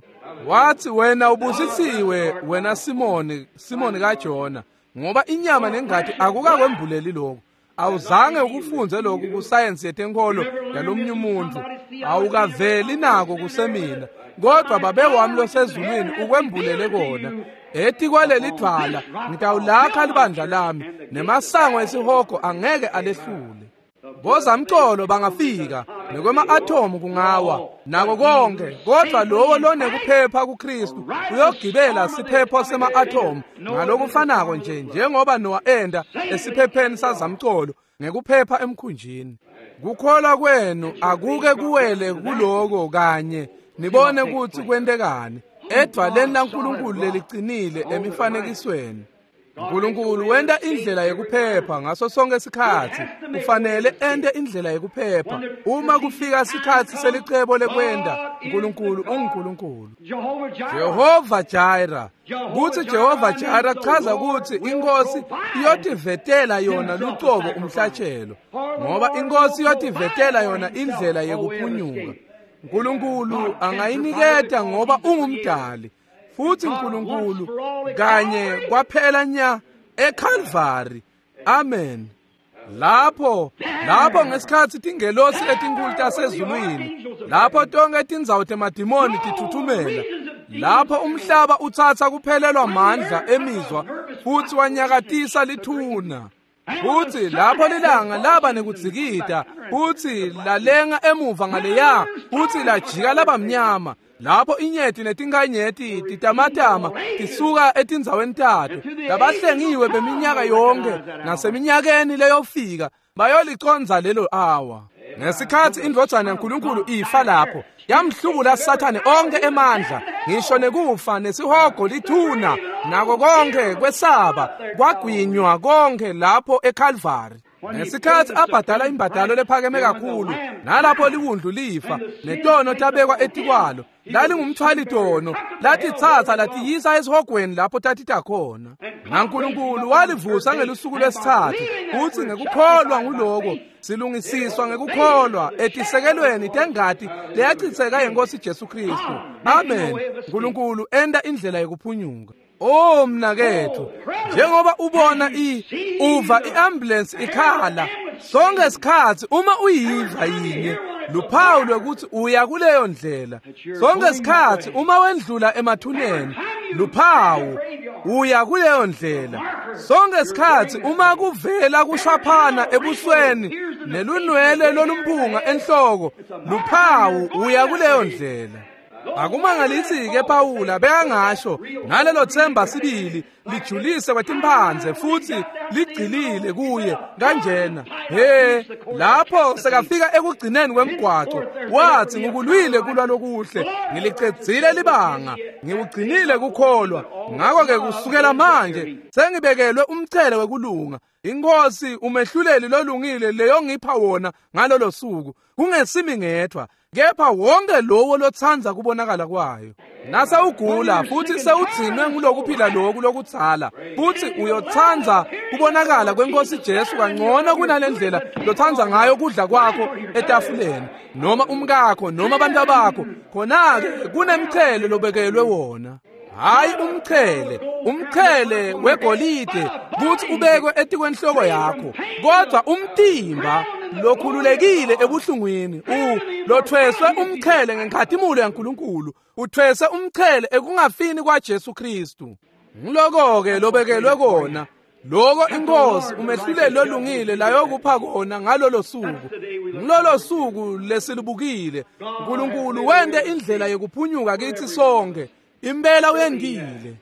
Watsi, wena ubusisiwe wena Simoni, Simoni kaJona, ngoba inyama nengati akukakwembuleli lokhu. Awuzange ukufunze lokhu kusayensi yetenkholo yalomnye umuntu, awukaveli nako kusemina, kodwa babe wami losezulwini ukwembulele kona. Etikwaleli dvwala ngitawulakha libandla lami, nemasango esihogo angeke alehlule. Bozamcolo bangafika, nekwema-athomu kungawa, nako konke, kodwa lowo lonekuphepha kuKristu uyogibela siphepho sema-athomu ngalokufanako nje njengoba Nowa enda esiphepheni sazamcolo ngekuphepha emkhunjini. Kukholwa kwenu akuke kuwele kuloko kanye, nibone kutsi kwentekani edvwaleni laNkulunkulu lelicinile emifanekisweni. uNkulunkulu wenta indlela yekuphepha ngaso sonke isikhatsi. Kufanele ente indlela yekuphepha. Uma kufika isikhatsi selicebo lekwenta, uNkulunkulu unguNkulunkulu. Jehova Jireh. Kutsi Jehova Jireh chaza kutsi inkosi iyotivetela yona lucobo umhlatshelo, ngoba inkosi iyotivetela yona indlela yekuphunyuka. uNkulunkulu angayiniketa ngoba ungumdali. Futsi uNkulunkulu kanye kwaphela nya eCalvary. Amen. Lapho ngesikhatsi tingelosi letinkulu tasezulwini, lapho tonke tindzawo temadimoni tithuthumela, lapho umhlaba utsatsa kuphelelwa mandla emizwa futsi wanyakatisa lithuna. Futsi lapho lilanga laba nekudzikida, futsi lalenga emuva ngaleya, futsi lajika laba mnyama. Lapho inyeti netinkanyeti titamatama tisuka etindzaweni tato, labahlengiwe beminyaka yonke naseminyakeni leyofika bayoliconza lelo awa. Ngesikhatsi indvodzana yaNkulunkulu ifa lapho, yamhlubula Sathane onke emandla, ngisho nekufa nesihogo lithuna nako konke kwesaba kwagwinywa konke lapho eKalvari. Ngesikhatsi abhadala imbadalo lephakeme kakhulu, nalapho liwundlu lifa netono tabekwa etikwalo, lalingumthwali tono, latitsatsa latiyisa esihogweni lapho tatita khona. NaNkulunkulu walivusa ngelusuku lwesithathu, futsi ngekukholwa nguloko silungisiswa ngekukholwa etisekelweni tengati leyachitseka yenkosi Jesu Kristu. Amen. Nkulunkulu enta indlela yekuphunyuka. Oh mnaketfu, njengoba ubona uva iambulance ikhala sonke isikhatsi, uma uyiva yinye luphawu lwekuthi uya kuleyo ndlela. Sonke isikhatsi uma wendlula emathuneni, luphawu uya kuleyo ndlela. Sonke isikhatsi uma kuvela kushaphana ebusweni nelunwele lolumphunga enhloko, luphawu uya kuleyo ndlela. Akumangalisi-ke Pawula bekangasho nalelo themba sibili lijulise kwetimphandze futsi ligcilile kuye kanjena. He, lapho sekafika ekugcineni kwemgwaco, wathi ngikulwile kulwa lokuhle, ngilicedzile libanga, ngiwugcinile kukholwa. Ngakho-ke kusukela manje sengibekelwe umchele wekulunga. Inkosi umehluleli lolungile leyongipha wona ngalolo suku, kungesimi ngedvwa, kepha wonke lowo lotsandza kubonakala kwayo. Nasewugula futhi sewugcinwe ngulokuphila loku lokudzala, futhi uyotsandza kubonakala kwenkosi Jesu kangcono kunalendlela lotsandza ngayo kudla kwakho etafuleni, noma umkakho noma abantu bakho, khona-ke kunemchele lobekelwe wona. Hayi umchele, umchele wegolide kuthi ubekwe etikwenhloko yakho, kodwa umtimba lokhululekile ebuhlungwini, lothweswe umchele ngenkhatimulo yaNkulunkulu, uthweswe umchele ekungafini kwaJesu Kristu. Ngiloko-ke lobekelwe kona, loko inkosi umehluleli lolungile layokupha kona ngalolo suku. Ngilolo suku lesilubukile, uNkulunkulu wente indlela yekuphunyuka kithi sonke. Impela uyendile.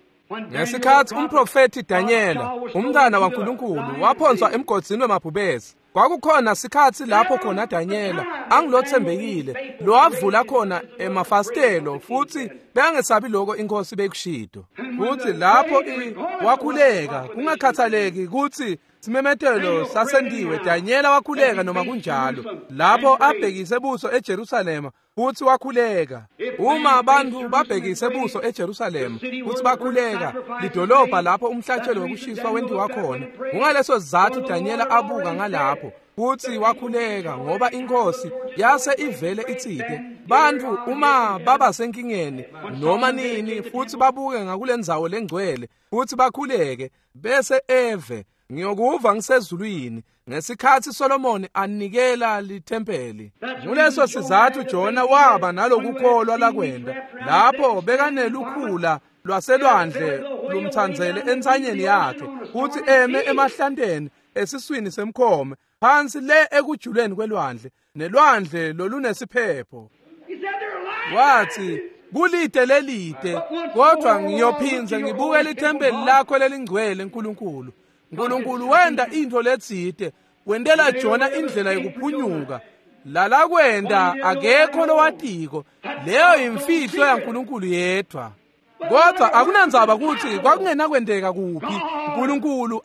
Ngesikhatsi umprofethi Danyela, umntwana waNkulunkulu, waphonswa emgodzini wemabhubesi, kwakukhona sikhatsi lapho khona Danyela angilothembekile lowavula khona emafasitelo, futhi bengesabi lokho inkosi bekushito. Futhi lapho wakhuleka, kungakhathaleki kutsi simemetelo sasendiwe, Danyela wakhuleka noma kunjalo. Lapho abhekise buso eJerusalema futhi wakhuleka. Uma abantu babhekise buso eJerusalema futhi bakhuleka, lidolobha lapho umhlatshelo wokushiswa wentiwa khona. Kungaleso sizathu Danyela abuka ngalapho futhi wakhuleka, ngoba inkosi yase ivele itsite bantfu uma baba senkingeni noma nini futhi babuke ngakulendzawo lengcwele futhi bakhuleke, bese eve ngiyokuva ngisezulwini. Ngesikhatsi Solomoni anikela lithempeli, nguleso sizathu Jona waba nalokukholwa lakwenda lapho bekanelukhula lwaselwandle lumthandzele entsanyeni yakhe, futhi eme emahlanteni esiswini semkhome phansi le ekujuleni kwelwandle, nelwandle lolunesiphepho. Wathi kulide lelide, kodwa ngiyophindze ngibuke lithempeli lakho lelingcwele Nkulunkulu. Nkulunkulu wenda intfo letsite, wentela Jona indlela yekuphunyuka. Lalakwenda akekho lowatiko, leyo imfihlo yaNkulunkulu yedwa. Kodwa akunandzaba kutsi kwakungenakwenteka kuphi, uNkulunkulu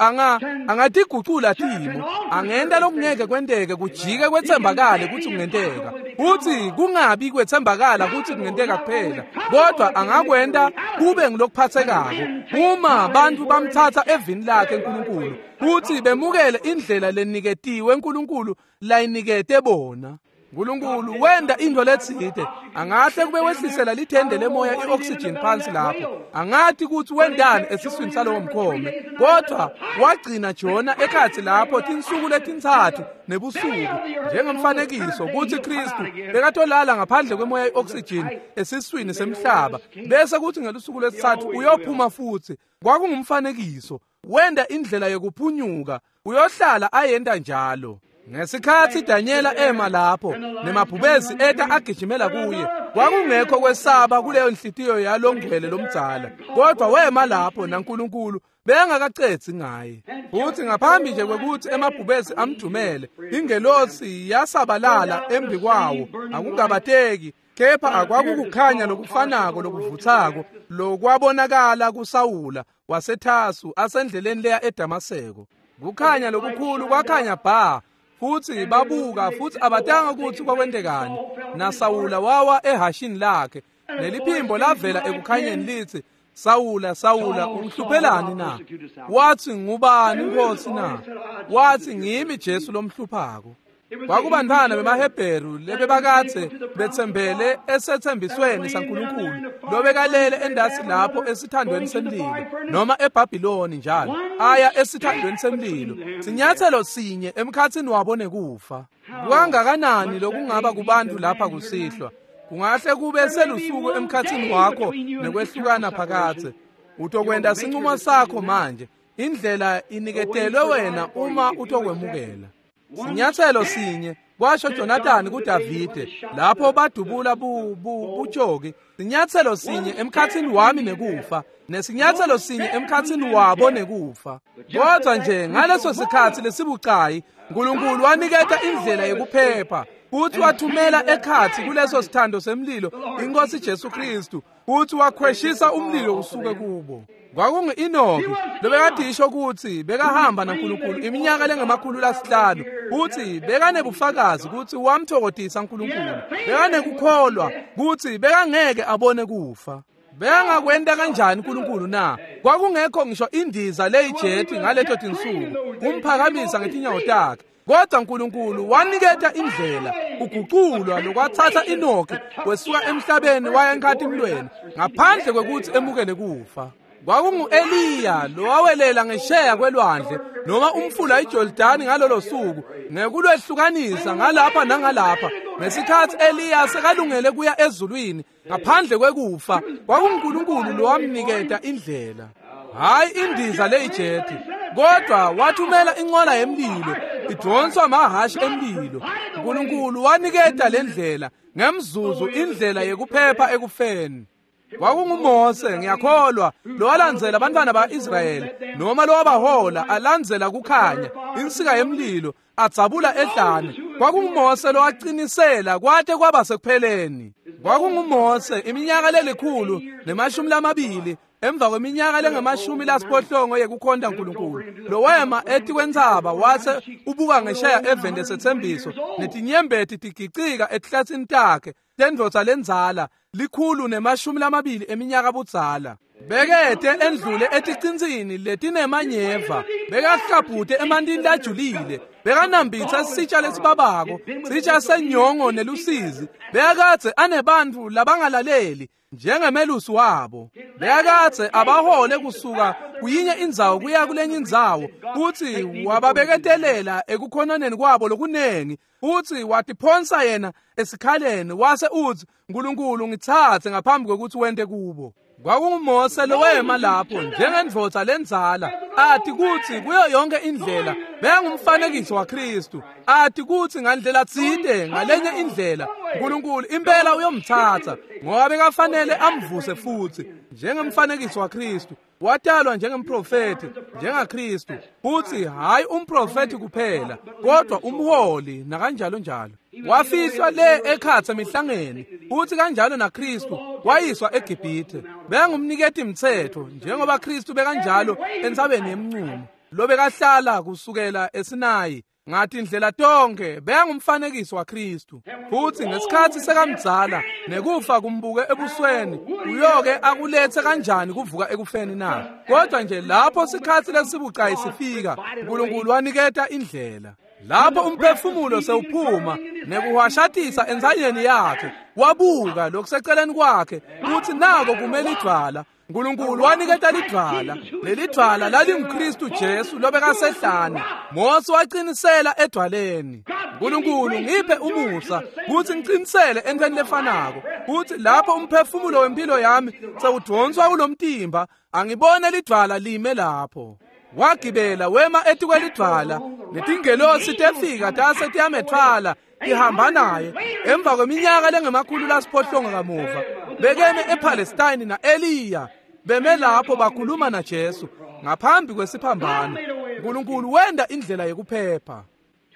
angatigucula timo, angenta lokungeke kwenteke kujike kwetsembakale kutsi kungenteka, futsi kungabi kwetsembakala kutsi kungenteka kuphela, kodwa angakwenta kube ngulokuphatsekako uma bantfu bamtsatsa evini lakhe uNkulunkulu futsi bemukele indlela leniketiwe uNkulunkulu layinikete bona. Nkulunkulu wenda into letsite angahle kube wehlisela lithende lemoya i-oxygen phansi lapho angathi kutsi wendani esiswini salowo mkhome kodwa wagcina Jona ekhatsi lapho tinsuku letintsatfu nebusuku njengemfanekiso kutsi Kristu bekatolala ngaphandle kwemoya i-oxygen esiswini semhlaba bese kuthi ngelusuku lwesitsatfu uyophuma futsi. Kwakungumfanekiso wenda indlela yekuphunyuka uyohlala ayenta njalo. Ngesikhatsi Danyela ema lapho nemabhubesi eta agijimela kuye kwakungekho kwesaba kuleyo nhliziyo yalongcwele lomdzala kodwa wema lapho naNkulunkulu bengakacedzi ngaye. Futhi ngaphambi nje kwekuthi emabhubesi amdumele ingelosi yasabalala embi kwawo akungabateki kepha akwakukukhanya lokufanako lokuvutsako lokwabonakala kuSawula waseThasu asendleleni leya eDamaseko. Kukhanya lokukhulu kwakhanya bha futhi babuka futhi abatanga ukuthi kwakwentekani. NaSawula wawa ehashini lakhe neliphimbo lavela ekukhanyeni lithi Sawula Sawula ungihluphelani na? Wathi ngubani Nkosi na? Wathi ngimi Jesu lomhluphako. Kwakubantwana bemaHebheru lebebakathe betsembele esethembisweni saNkulunkulu lobekalele endasi lapho esithandweni semlilo noma eBhabhiloni njalo aya esithandweni semlilo sinyathelo sinye emkhatsini wabo nekufa. Kangakanani lokungaba kubantu lapha kusihlwa kungahle kube selusuku emkhatsini wakho nekwehlukana phakathe. Utokwenda sinqumo sakho manje indlela iniketelwe wena uma utokwemukela. Sinyathelo sinye kwasho Jonathan kuDavide lapho badubula bujoki. Sinyathelo sinye emkhatsini wami nekufa nesinyathelo sinye emkhatsini wabo nekufa. Kodwa nje ngaleso sikhatsi lesibucayi uNkulunkulu waniketa indlela yekuphepha futhi wathumela ekhatsi kuleso sithando semlilo inkosi Jesu Kristu futhi wakhweshisa umlilo usuke kubo. Kwakungu-Enoki lobekadisho ukuthi bekahamba naNkulunkulu iminyaka lengama-500 futhi bekanebufakazi ukuthi wamthokodisa uNkulunkulu bekanekukholwa ukuthi bekangeke abone kufa. Bekangakwenta kanjani uNkulunkulu na? Kwakungekho ngisho indiza leyijethi ngaleto tinsuku kumphakamisa ngetinyawo takhe kodwa uNkulunkulu waniketa indlela uguculwa lokwathatha Enoki wesuka emhlabeni waya enkhatimlweni ngaphandle kwekuthi emukele kufa. Kwakungu-Eliya lowawelela ngesheya kwelwandle noma umfula iJordani ngalolo suku ngekulwehlukanisa ngalapha nangalapha. Ngesikhatsi Eliya sekalungele kuya ezulwini ngaphandle kwekufa kwakunguNkulunkulu lowamniketa indlela. Hayi indiza leyijethi kodwa wathumela inqola yemlilo idonswa amahashi emlilo. uNkulunkulu waniketa lendlela ngemzuzu indlela yekuphepha ekufeni. KwakunguMose ngiyakholwa lowalandzela abantwana ba-Israyeli noma lowabahola alandzela kukhanya insika yemlilo adzabula ehlane. KwakunguMose lowaqinisela kwate kwaba sekupheleni. KwakunguMose iminyaka 120 emva kweminyaka lengama-70 yekukhonta uNkulunkulu lowema etikwentsaba wase ubuka ngesheya eveni lesethembiso netinyembeti tigicika etihlatsini takhe tendvodza lendzala 120 eminyaka budzala. Bekete endlule eticintsini letinemanyeva bekahlabhute emantini lajulile bekanambitsa sitsha lesibabako sitsha senyongo nelusizi. Bekakadze anebantfu labangalaleli njengemelusi wabo. Bekakadze abahole kusuka kuyinye indzawo kuya kulenye indzawo futhi wababeketelela ekukhononeni kwabo lokunengi futhi watiphonsa yena esikhaleni wase uthi uNkulunkulu ngitsatse ngaphambi kwekuthi wente kubo. KwakunguMose lowema lapho njengendvodza lendzala athi kutsi kuyo yonke indlela bekangumfanekiso waKristu athi kutsi ngandlela tsite ngalenye indlela uNkulunkulu impela uyomthatha ngoba bekafanele amvuse futhi njengemfanekiso waKristu. Watalwa njengemprofeti njengaKristu futhi hayi umprofeti kuphela kodwa umholi nakanjalo njalo. Wafihlwa le ekhatsi emihlangeni futhi kanjalo naKristu wayiswa eGibhithe. Bekangumniketi mthetho njengoba Kristu bekanjalo entsabeni yemnqumo lobekahlala kusukela eSinayi ngathi indlela tonke bekangumfanekiso waKristu. Futhi ngesikhatsi sekamdzala nekufa kumbuke ebusweni uyoke akulethe kanjani kuvuka ekufeni na? Kodwa nje lapho sikhatsi lesibucayi sifika uNkulunkulu waniketa indlela. Lapho umphefumulo sewuphuma Nekuhwashatisa entsanyeni yakhe, wabuka lokuseceleni kwakhe kutsi nako kumele idvwala. Nkulunkulu waniketa lidvwala. Lelidvwala lalinguKristu Jesu lobekasehlane. Mose waqinisela edvwaleni. Nkulunkulu ngiphe umusa kutsi ngiqinisele entweni lefanako, kutsi lapho umphefumulo wempilo yami sewudvonswa kulomtimba, angibone lidvwala lime lapho. Wagibela wema etikwelidvwala, netingelosi tefika tase tiyametfwala tihamba naye. Emva kweminyaka lengama-800 kamuva, bekeme ePalestine na-Eliya, beme lapho bakhuluma naJesu ngaphambi kwesiphambano. Nkulunkulu wenda indlela yekuphepha.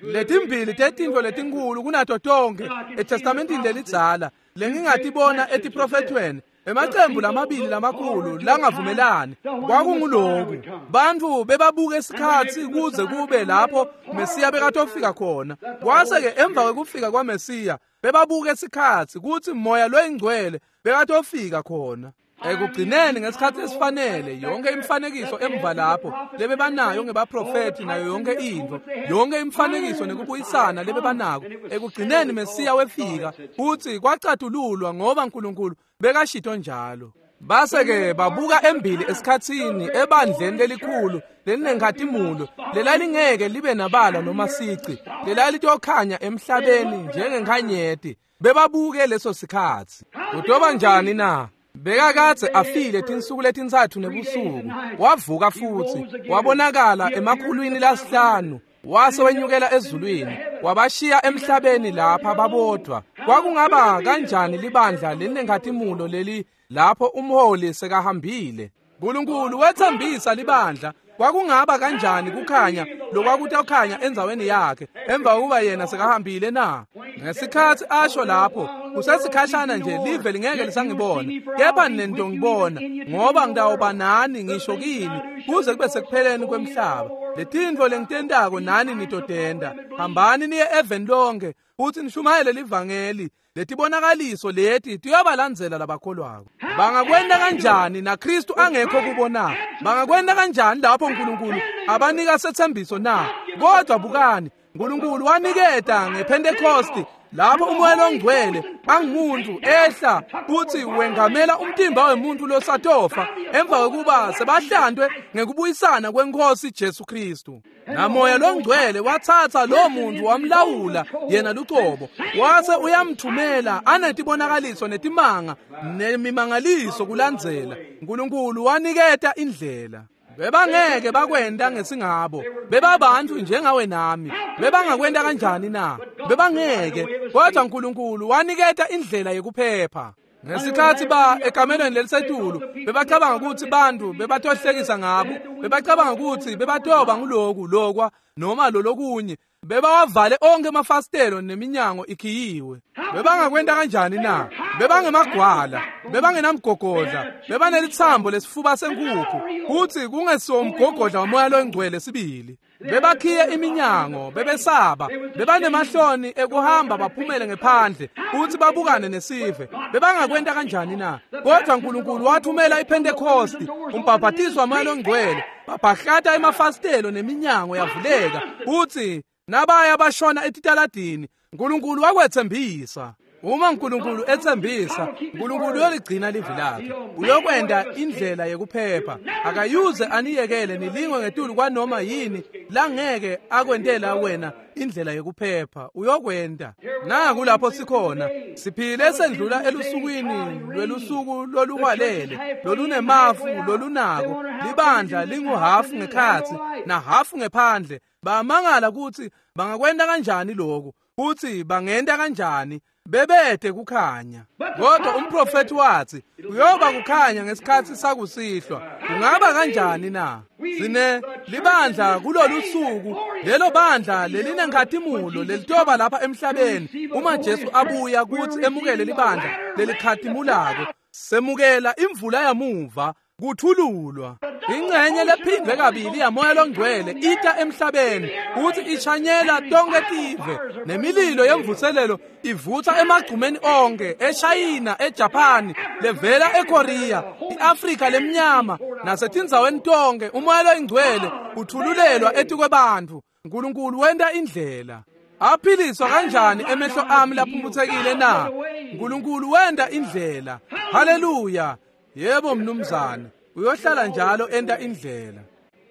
Letimbili tetintfo letinkulu kunato tonkhe eTestamentini lelidzala lengingatibona etiprofethweni, emacembu lamabili lamakhulu langavumelani, kwakunguloku: bantfu bebabuka isikhatsi kuze kube lapho Mesiya bekatofika khona. Kwase-ke emva kwekufika kwaMesiya, bebabuka isikhatsi kutsi Moya loyiNgcwele bekatofika khona. Ekugcineni ngesikhatsi esifanele, yonke imifanekiso emva lapho lebebanayo ngebaprofethi nayo yonke intfo, yonke imifanekiso nekubuyisana lebebanako, ekugcineni Mesiya wefika futsi kwacatululwa ngoba Nkulunkulu bekashito njalo. Base-ke babuka embili esikhatsini ebandleni lelikhulu lelinenkhatimulo lelalingeke libe nabala noma sici, lelalitokhanya emhlabeni njengenkhanyeti. Bebabuke leso sikhatsi. Kutoba njani na? Bekakadze afile tinsuku letintsatfu nebusuku, wavuka futsi, wabonakala 500, wase wenyukela ezulwini, wabashiya emhlabeni lapha babodvwa. Kwakungaba kanjani libandla lelinenkhatimulo leli lapho umholi sekahambile? Nkulunkulu wetsembisa libandla. Kwakungaba kanjani kukhanya lokwakutokhanya endzaweni yakhe emva kokuba yena sekahambile na? Ngesikhatsi asho lapho, kusesikhashana nje live lingeke lisangibona, kepha nitongibona, ngoba ngitawuba nani ngisho kini kuze kube sekupheleni kwemhlaba. Letintfo lengitentako nani nitotenta. Hambani niye eveni lonke futsi nishumayele livangeli. Letibonakaliso leti tiyabalandzela labakholwako. Bangakwenta kanjani naKristu angekho kubo na? Bangakwenta kanjani lapho Nkulunkulu abanika setsembiso na? Kodwa bukani, Nkulunkulu waniketa ngePhentekosti lapho uMoya loNgcwele angumuntu ehla futsi wengamela umtimba wemuntu losatofa emva kwekuba sebahlantwe ngekubuyisana kweNkhosi Jesu Kristu. NaMoya loNgcwele watsatsa lo muntu wamlawula yena lucobo, wase uyamthumela anetibonakaliso netimanga nemimangaliso kulandzela. Nkulunkulu waniketa indlela. Bebangeke bakwenta ngesingabo, bebabantfu njengawe nami. Bebangakwenta kanjani na? Bebangeke. Kodwa Nkulunkulu waniketa indlela yekuphepha. Ngesikhatsi ba ekamelweni lelisetulu, bebacabanga kutsi bantfu bebatohlekisa ngabo, bebacabanga kutsi bebatoba nguloku lokwa noma lolokunye. Bebawavale onke emafasitelo neminyango ikhiyiwe. Bebangakwenta kanjani na? Bebangemagwala, bebangenamgogodla, bebanelitsambo lesifuba senkukhu, kutsi kungesiwo umgogodla waMoya loNgcwele sibili. Bebakhiye iminyango, bebesaba, bebanemahloni ekuhamba baphumele ngephandle kutsi babukane nesive. Bebangakwenta kanjani na? Kodwa Nkulunkulu wathumela iPhentekosti, umbhabhatiso waMoya loNgcwele, babhahlata emafasitelo neminyango yavuleka, kutsi nabaya bashona etitaladini. Nkulunkulu wakwetsembisa. Uma Nkulunkulu etsembisa, Nkulunkulu uyoligcina livi lakhe. Uyokwenta indlela yekuphepha. Akayuze aniyekele nilingwe ngetulu kwanoma yini langeke akwentela wena indlela yekuphepha. Uyokwenta. Naku lapho sikhona. Siphile sendlula elusukwini lwelusuku loluhwalele, lolunemafu, lolunako. Libandla linguhafu ngekhatsi nahafu ngephandle. Bamangala kutsi bangakwenta kanjani lokhu, kutsi bangenta kanjani bebede kukhanya. Kodwa umprofethi wathi kuyoba kukhanya ngesikhatsi sakusihlwa. Kungaba kanjani na? Sine libandla kulolu suku, lelo bandla lelinenkhatimulo lelitoba lapha emhlabeni uma Jesu abuya kutsi emukele libandla lelikhatimulako. Semukela imvula yamuva kuthululwa. Ingcenye lephindwe kabili yaMoya loNgcwele ita emhlabeni kutsi ishanyela tonke tive, nemililo yemvuselelo ivutsa emagcumeni onke, eShayina, eJapani, levela eKorea, iAfrika lemnyama nasetindzaweni tonke. uMoya loNgcwele uthululelwa etikwebantfu. Nkulunkulu wenta indlela. Aphiliswa kanjani emehlo ami laphumputhekile na? Nkulunkulu wenda indlela. Haleluya. Yebo mnumzane, uyohlala njalo enta indlela.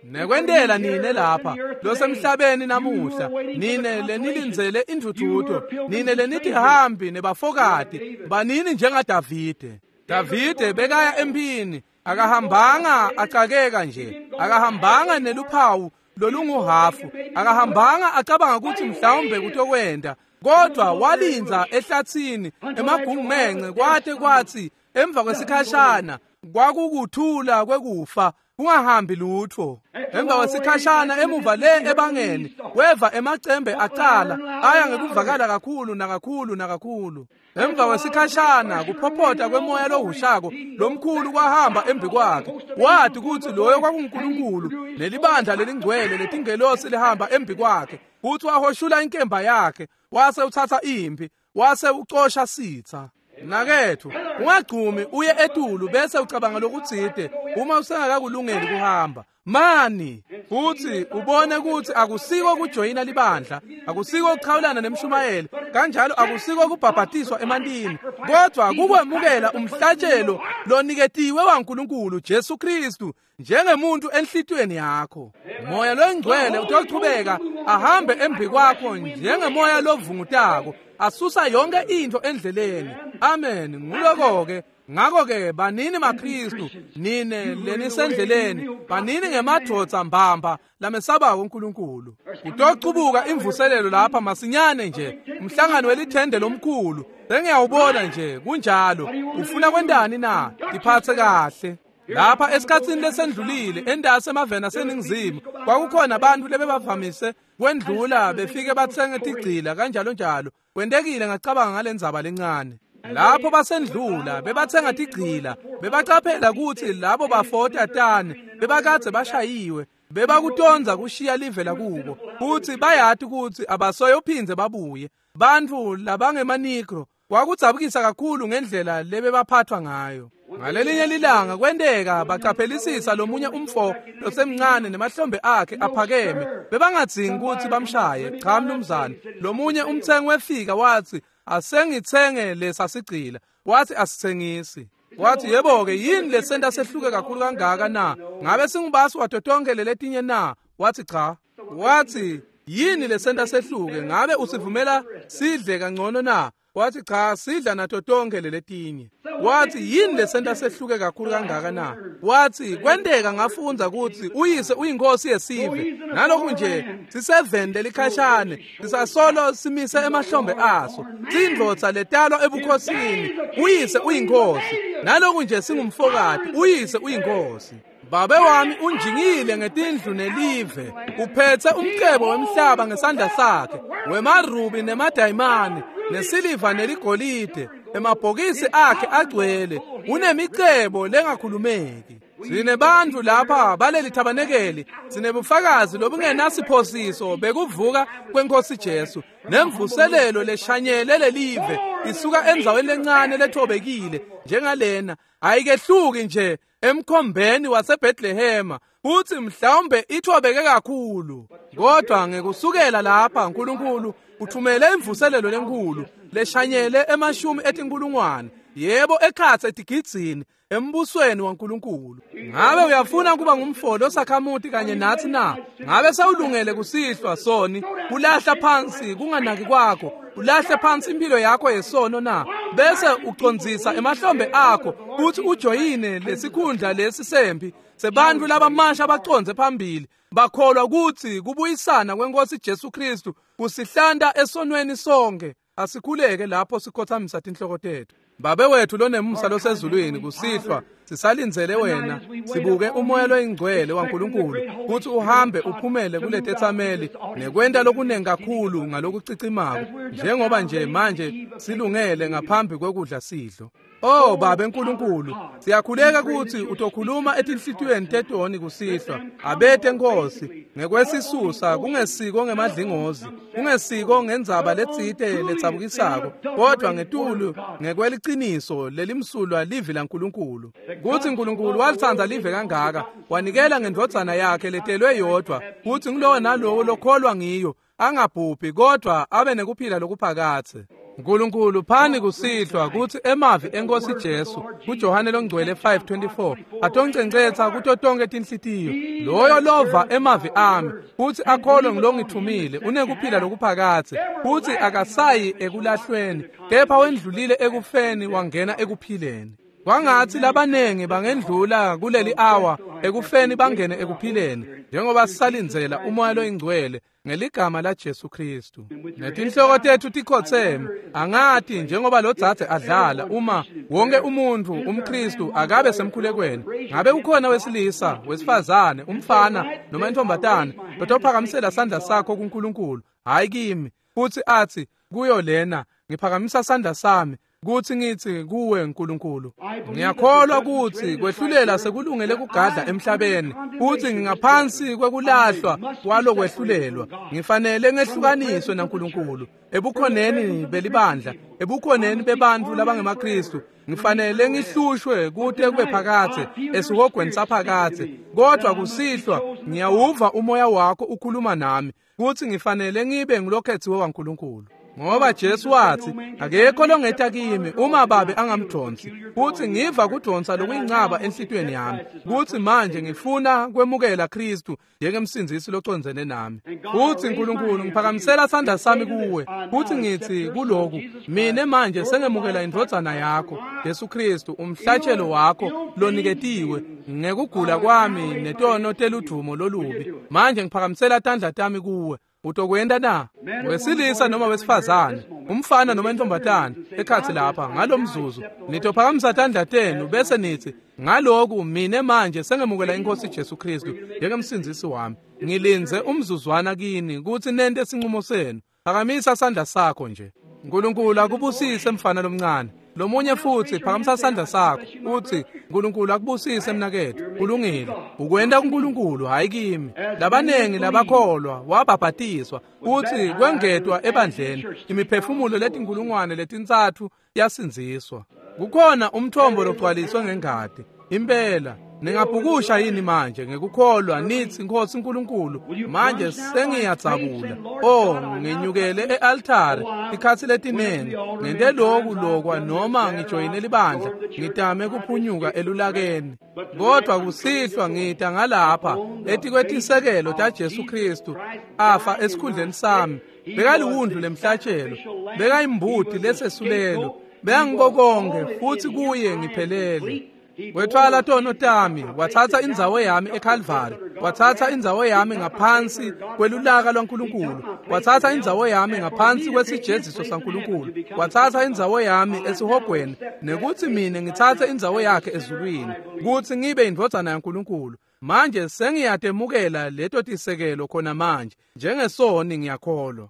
Nekwentela nine lapha losemhlabeni namuhla, nine lenilindzele intfutfuko, nine lenitihambi nebafokati, banini njengaDavide. Davide bekaya emphini, akahambanga acakeka nje, akahambanga neluphawu lolunguhafu, akahambanga acabanga ukuthi mhlawumbe kutokwenda, kodwa walindza ehlathini emagungumence kwate kwathi emva kwesikhashana kwakukuthula kwekufa kungahambi lutho. Emva kwesikhashana emuva le ebangeni weva emacembe acala aya ngekuvakala kakhulu nakakhulu nakakhulu. Emva kwesikhashana kuphophota kwemoya lohushako lomkhulu kwahamba embi kwakhe. Wathi ukuthi loyo kwakunguNkulunkulu nelibandla lelingcwele letingelosi lihamba embi kwakhe. Kuthi wahoshula inkemba yakhe wase uthatha impi wase ucosha sitha. Nakethu ungagcumi uye etulu bese ucabanga lokutsite uma usengakakulungeli kuhamba. Mani futhi ubone ukuthi akusiko kujoyina libandla, akusiko ukuchawulana nemshumayeli, kanjalo akusiko kubhabhatiswa emantini, kodwa kukwemukela umhlatshelo loniketiwe waNkulunkulu Jesu Kristu njengemuntu enhlitiyweni yakho. Moya loyingcwele utochubeka ahambe embi kwakho njengemoya lovungutako, asusa yonke into endleleni. Amen. Nguloko-ke. Ngakho-ke banini maKristu, nine lenisendleleni, banini ngemadvodza mbamba lamesabako uNkulunkulu. Kutochubuka imvuselelo lapha masinyane nje, umhlangano welithende lomkhulu. Sengiyawubona nje, kunjalo. Ufuna kwentani na? Tiphatse kahle. Lapha esikhatsini lesendlulile endasi emaveni aseningizimu kwakukhona abantu lebebavamise kwendlula befike batsenge tigcila kanjalo njalo. Kwentekile ngacabanga ngalendzaba lencane. Lapho basendlula bebatsenga tigcila, bebacaphela ukuthi labo bafota tane bebakadze bashayiwe, bebakutonza kushiya live lakubo, futhi bayati ukuthi abasoyophindze babuye. Bantfu labangemanigro kwakudzabukisa kakhulu ngendlela lebebaphathwa ngayo. Ngalelinye lilanga kwenteka bacaphelisisa lomunye umfo losemncane nemahlombe akhe aphakeme. Bebangadzingi ukuthi bamshaye, cha mnumzane. Lomunye umthengi wefika wathi, asengitsenge lesa sigcila. Wathi asithengisi. Wathi yebo-ke, yini lesenta sehluke kakhulu kangaka na? Ngabe singubasi wato tonke leletinye na? Wathi cha. Wathi yini lesenta sehluke? Ngabe usivumela sidle kangcono na? Wathi cha, sidla nato tonke leletinye. Wathi yini lesenta sehluke kakhulu kangaka na? Wathi kwenteka ngafundza ukuthi uyise uyinkosi yesive, nalokhu nje siseveni lelikhashane sisasolo simise emahlombe aso, sindvodza letalwa ebukhosini, uyise uyinkosi, nalokhu nje singumfokati, uyise uyinkosi. Babe wami unjingile ngetindlu nelive, uphethe umcebo wemhlaba ngesandla sakhe, wemarubi nemadayimane, nesiliva neligolide, emabhokisi akhe agcwele, unemicebo lengakhulumeki. Sinebantfu lapha baleli thabanekeli, sinebufakazi lobungenasiphosiso bekuvuka kwenkosi Jesu, nemvuselelo leshanyele lelive isuka endzaweni lencane lethobekile njengalena, ayikehluki nje emkhombeni waseBethlehema, futhi mhlawumbe ithobeke kakhulu. Kodwa ngekusukela lapha uNkulunkulu uthumele imvuselelo lenkulu leshanyele emashumi etinkulungwane, yebo ekhatsi etigidzini embusweni waNkulunkulu. Ngabe uyafuna kuba ngumfolo osakhamuti kanye nathi na? Ngabe sewulungele kusihlwa soni kulahla phansi kunganaki kwakho, ulahle phansi impilo yakho yesono na? Bese ucondzisa emahlombe akho futhi ujoyine lesikhundla lesi sempi sebantfu labamasha bacondze phambili, bakholwa ukuthi kubuyisana kwenkosi Jesu Kristu kusihlanta esonweni sonke. Asikhuleke lapho sikhothamisa tinhloko tethu. Babe wethu lonemusa losezulwini, kusihlwa sisalindzele wena, sibuke umoya loyingcwele waNkulunkulu kuthi uhambe uphumele kuletetsameli nekwenta lokunengi kakhulu ngalokucicimako, njengoba nje manje silungele ngaphambi kwekudla sidlo. Oh Babe Nkulunkulu, siyakhuleka ukuthi utokhuluma etinhlitiyweni tetoni kusihlwa. Abete Nkosi ngekwesisusa, kungesiko ngemadlingozi, kungesiko ngendzaba letsite letsabukisako, kodwa ngetulu ngekweliciniso lelimsulwa livi laNkulunkulu. Kutsi Nkulunkulu walitsandza live kangaka, wanikela ngendvodzana yakhe letelwe yodvwa, kutsi ngulowo nalowo lokholwa ngiyo angabhubhi kodvwa abe nekuphila lokuphakadze. Nkulunkulu phani kusihlwa kutsi emavi eNkosi Jesu kuJohane longcwele 5:24 atoncencetsa kuto tonkhe tinhlitiyo. Loyo lova emavi ami futsi akholwe ngilongithumile unekuphila lokuphakadze, futsi akasayi ekulahlweni kepha wendlulile ekufeni wangena ekuphileni. Kwangatsi labanengi bangendlula kuleli awa ekufeni bangene ekuphileni, njengoba sisalindzela uMoya loyiNgcwele ngeligama la Jesu Kristu. Netinhloko tetfu tikhotseme, angati njengoba lo dzadze adlala, uma wonke umuntfu umKristu akabe semkhulekweni, ngabe ukhona wesilisa, wesifazane, umfana noma intombatane lotophakamisela sandla sakho kuNkulunkulu, hayi kimi, futsi atsi kuyo lena, ngiphakamisa sandla sami kutsi ngitsi kuwe Nkulunkulu, ngiyakholwa kutsi kwehlulela sekulungele kugadla emhlabeni, kutsi ngingaphansi kwekulahlwa kwalokwehlulelwa, ngifanele ngehlukaniswe naNkulunkulu ebukhoneni belibandla, ebukhoneni bebantfu labangemaKristu, ngifanele ngihlushwe kute kube phakadze esihogweni saphakadze. Kodvwa kusihlwa ngiyawuva umoya wakho ukhuluma nami kutsi ngifanele ngibe ngulokhetsiwe waNkulunkulu. Ngoba Jesu watsi, akekho longeta kimi uma babe angamdonsi, futsi ngiva kudonsa lokuyincaba enhlitiyweni yami, kutsi manje ngifuna kwemukela Kristu njengemsindzisi locondzene nami. Futsi Nkulunkulu, ngiphakamisela sandla sami kuwe, futsi ngitsi kuloku, mine manje sengemukela indvodzana yakho, Jesu Kristu, umhlatshelo wakho loniketiwe ngekugula kwami netono teludvumo lolubi. Manje ngiphakamisela tandla tami kuwe. Utokwenta na? Wesilisa noma wesifazane, umfana noma intombatane, ekhatsi lapha ngalomzuzu nitophakamisa tandla tenu bese nitsi, ngaloku mine manje sengemukela iNkosi Jesu Kristu njengemsindzisi wami. Ngilindze umzuzwana kini kutsi nente sinqumo senu. Phakamisa sandla sakho nje. Nkulunkulu akubusise mfana lomncane. Lomunye futsi phakamisa sandla sakho utsi, Nkulunkulu akubusise mnaketfu. Kulungile. Ukwenta kuNkulunkulu hayi kimi. Labanengi labakholwa wabhabhatiswa futsi kwengetwa ebandleni imiphefumulo letinkulungwane letintsatfu yasindziswa. Kukhona umthombo logcwaliswe ngengati. Impela ningabhukusha yini manje ngekukholwa nitsi, Nkosi Nkulunkulu, manje sengiyadzabula. Oh, ngenyukele e-altare ikhatsi letinengi, ngente loku lokwa noma ngijoyine libandla, ngitame kuphunyuka elulakeni. Kodwa kusihlwa ngita ngalapha etikwetisekelo taJesu Kristu afa esikhundleni sami. Bekaliwundlu lemhlatshelo, bekayimbuti lesesulelo, bekangibokonke futsi kuye ngiphelele. Wethwala tono tami, wathatha indzawo yami eKalvari, wathatha indzawo yami ngaphansi kwelulaka lwaNkulunkulu, wathatha indzawo yami ngaphansi kwesijeziso saNkulunkulu, wathatha indzawo yami esihogweni, nekutsi mine ngitsatse indzawo yakhe ezulwini, kutsi ngibe indvodzana yaNkulunkulu. Manje sengiyatemukela leto tisekelo khona manje, njengesoni ngiyakholwa.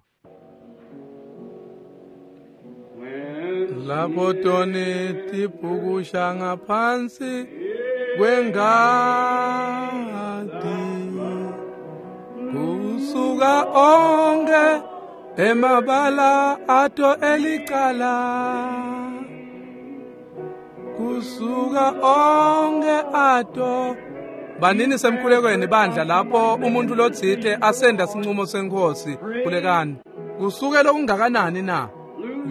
Lapho toni tibhukusha ngaphansi kwengati, kusuka onke emabala ato elicala, kusuka onke ato. Banini semkhulekweni bandla lapho umuntu lotsite asenda sinqumo senkosi, khulekani. Kusuke lokungakanani na?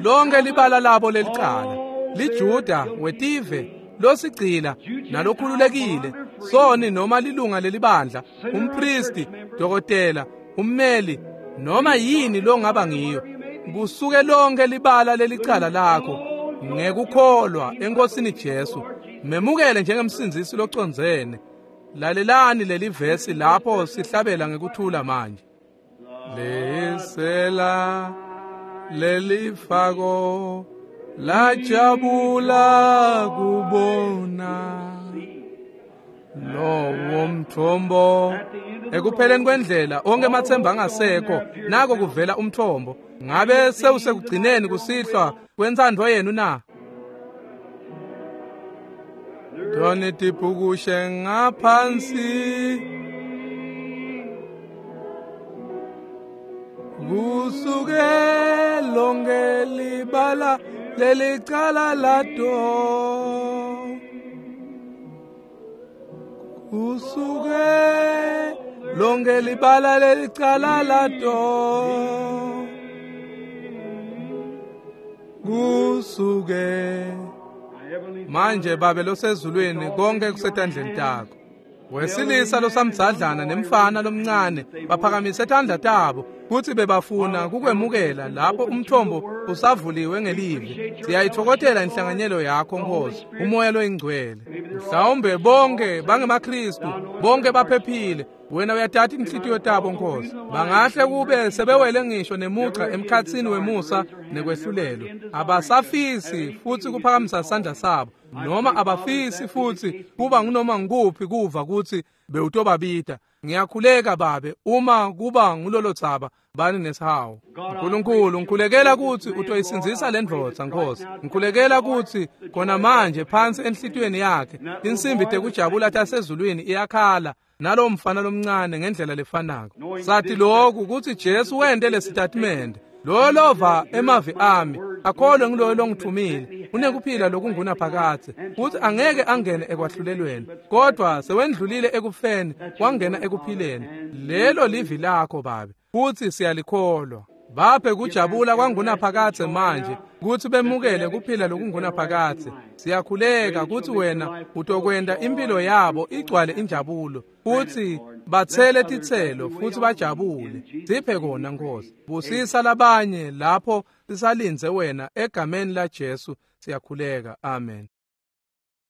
Lonke libala labo lelicala, liJuda, wetive, losigcila nalokhululekile, soni noma lilunga lelibandla, umpristi, dokotela, ummeli, noma yini longaba ngiyo, kusuke lonke libala lelicala lakho ngekukholwa eNkosini Jesu. Memukele njengemsindzisi locondzene. Lalelani leli vesi lapho sihlabela ngekuthula manje. Lesela lelifako lajabula kubona lowo mthombo. Ekupheleni kwendlela onke emathemba angasekho, nako kuvela umthombo. Ngabe sewusekugcineni kusihlwa kwentsandvo yenu na? Toni tibhukushe ngaphansi, kusuke lonke libala lelicala lato. Kusuke lonke libala lelicala lato. Kusuke manje Babe losezulwini, konke kusetandleni takho. Wesilisa losamdzadlana nemfana lomncane baphakamise tandla tabo kutsi bebafuna kukwemukela lapho umthombo usavuliwe ngelivi. Siyayitfokotela inhlanganyelo yakho Nkosi, umoya loyingcwele. Mhlawumbe bonke bangemaKristu, bonke baphephile. Wena uyatati inhlitiyo tabo Nkosi. Bangahle kube sebewele ngisho nemugca emkhatsini wemusa nekwehlulelo. Abasafisi futsi kuphakamisa sandla sabo, noma abafisi futsi kuba ngunoma ngukuphi kuva kutsi bewutobabita. Ngiyakhuleka Babe, uma kuba ngulolo dzaba, bani nesihawu. Nkulunkulu, ngikhulekela kutsi utoyisindzisa le ndvodza Nkosi. Ngikhulekela kutsi khona manje phansi enhlitiyweni yakhe insimbi tekujabula tasezulwini iyakhala nalowo mfana lomncane ngendlela lefanako. Sathi lokhu kutsi Jesu wente lesitatimende: loyo lova emavi ami akholwe nguloyo longithumile unekuphila lokungunaphakadze, futsi angeke angene ekwahlulelweni, kodwa sewendlulile ekufeni wangena ekuphileni. Lelo livi lakho Babe, futsi siyalikholwa. Baphe kujabula kwangunaphakadze manje kutsi bemukele kuphila lokungunaphakadze. Siyakhuleka kutsi wena utokwenta impilo yabo igcwale injabulo, futsi batsele titselo futsi bajabule. Siphe kona Nkosi. Busisa labanye lapho sisalindze wena, egameni la Jesu siyakhuleka. Amen.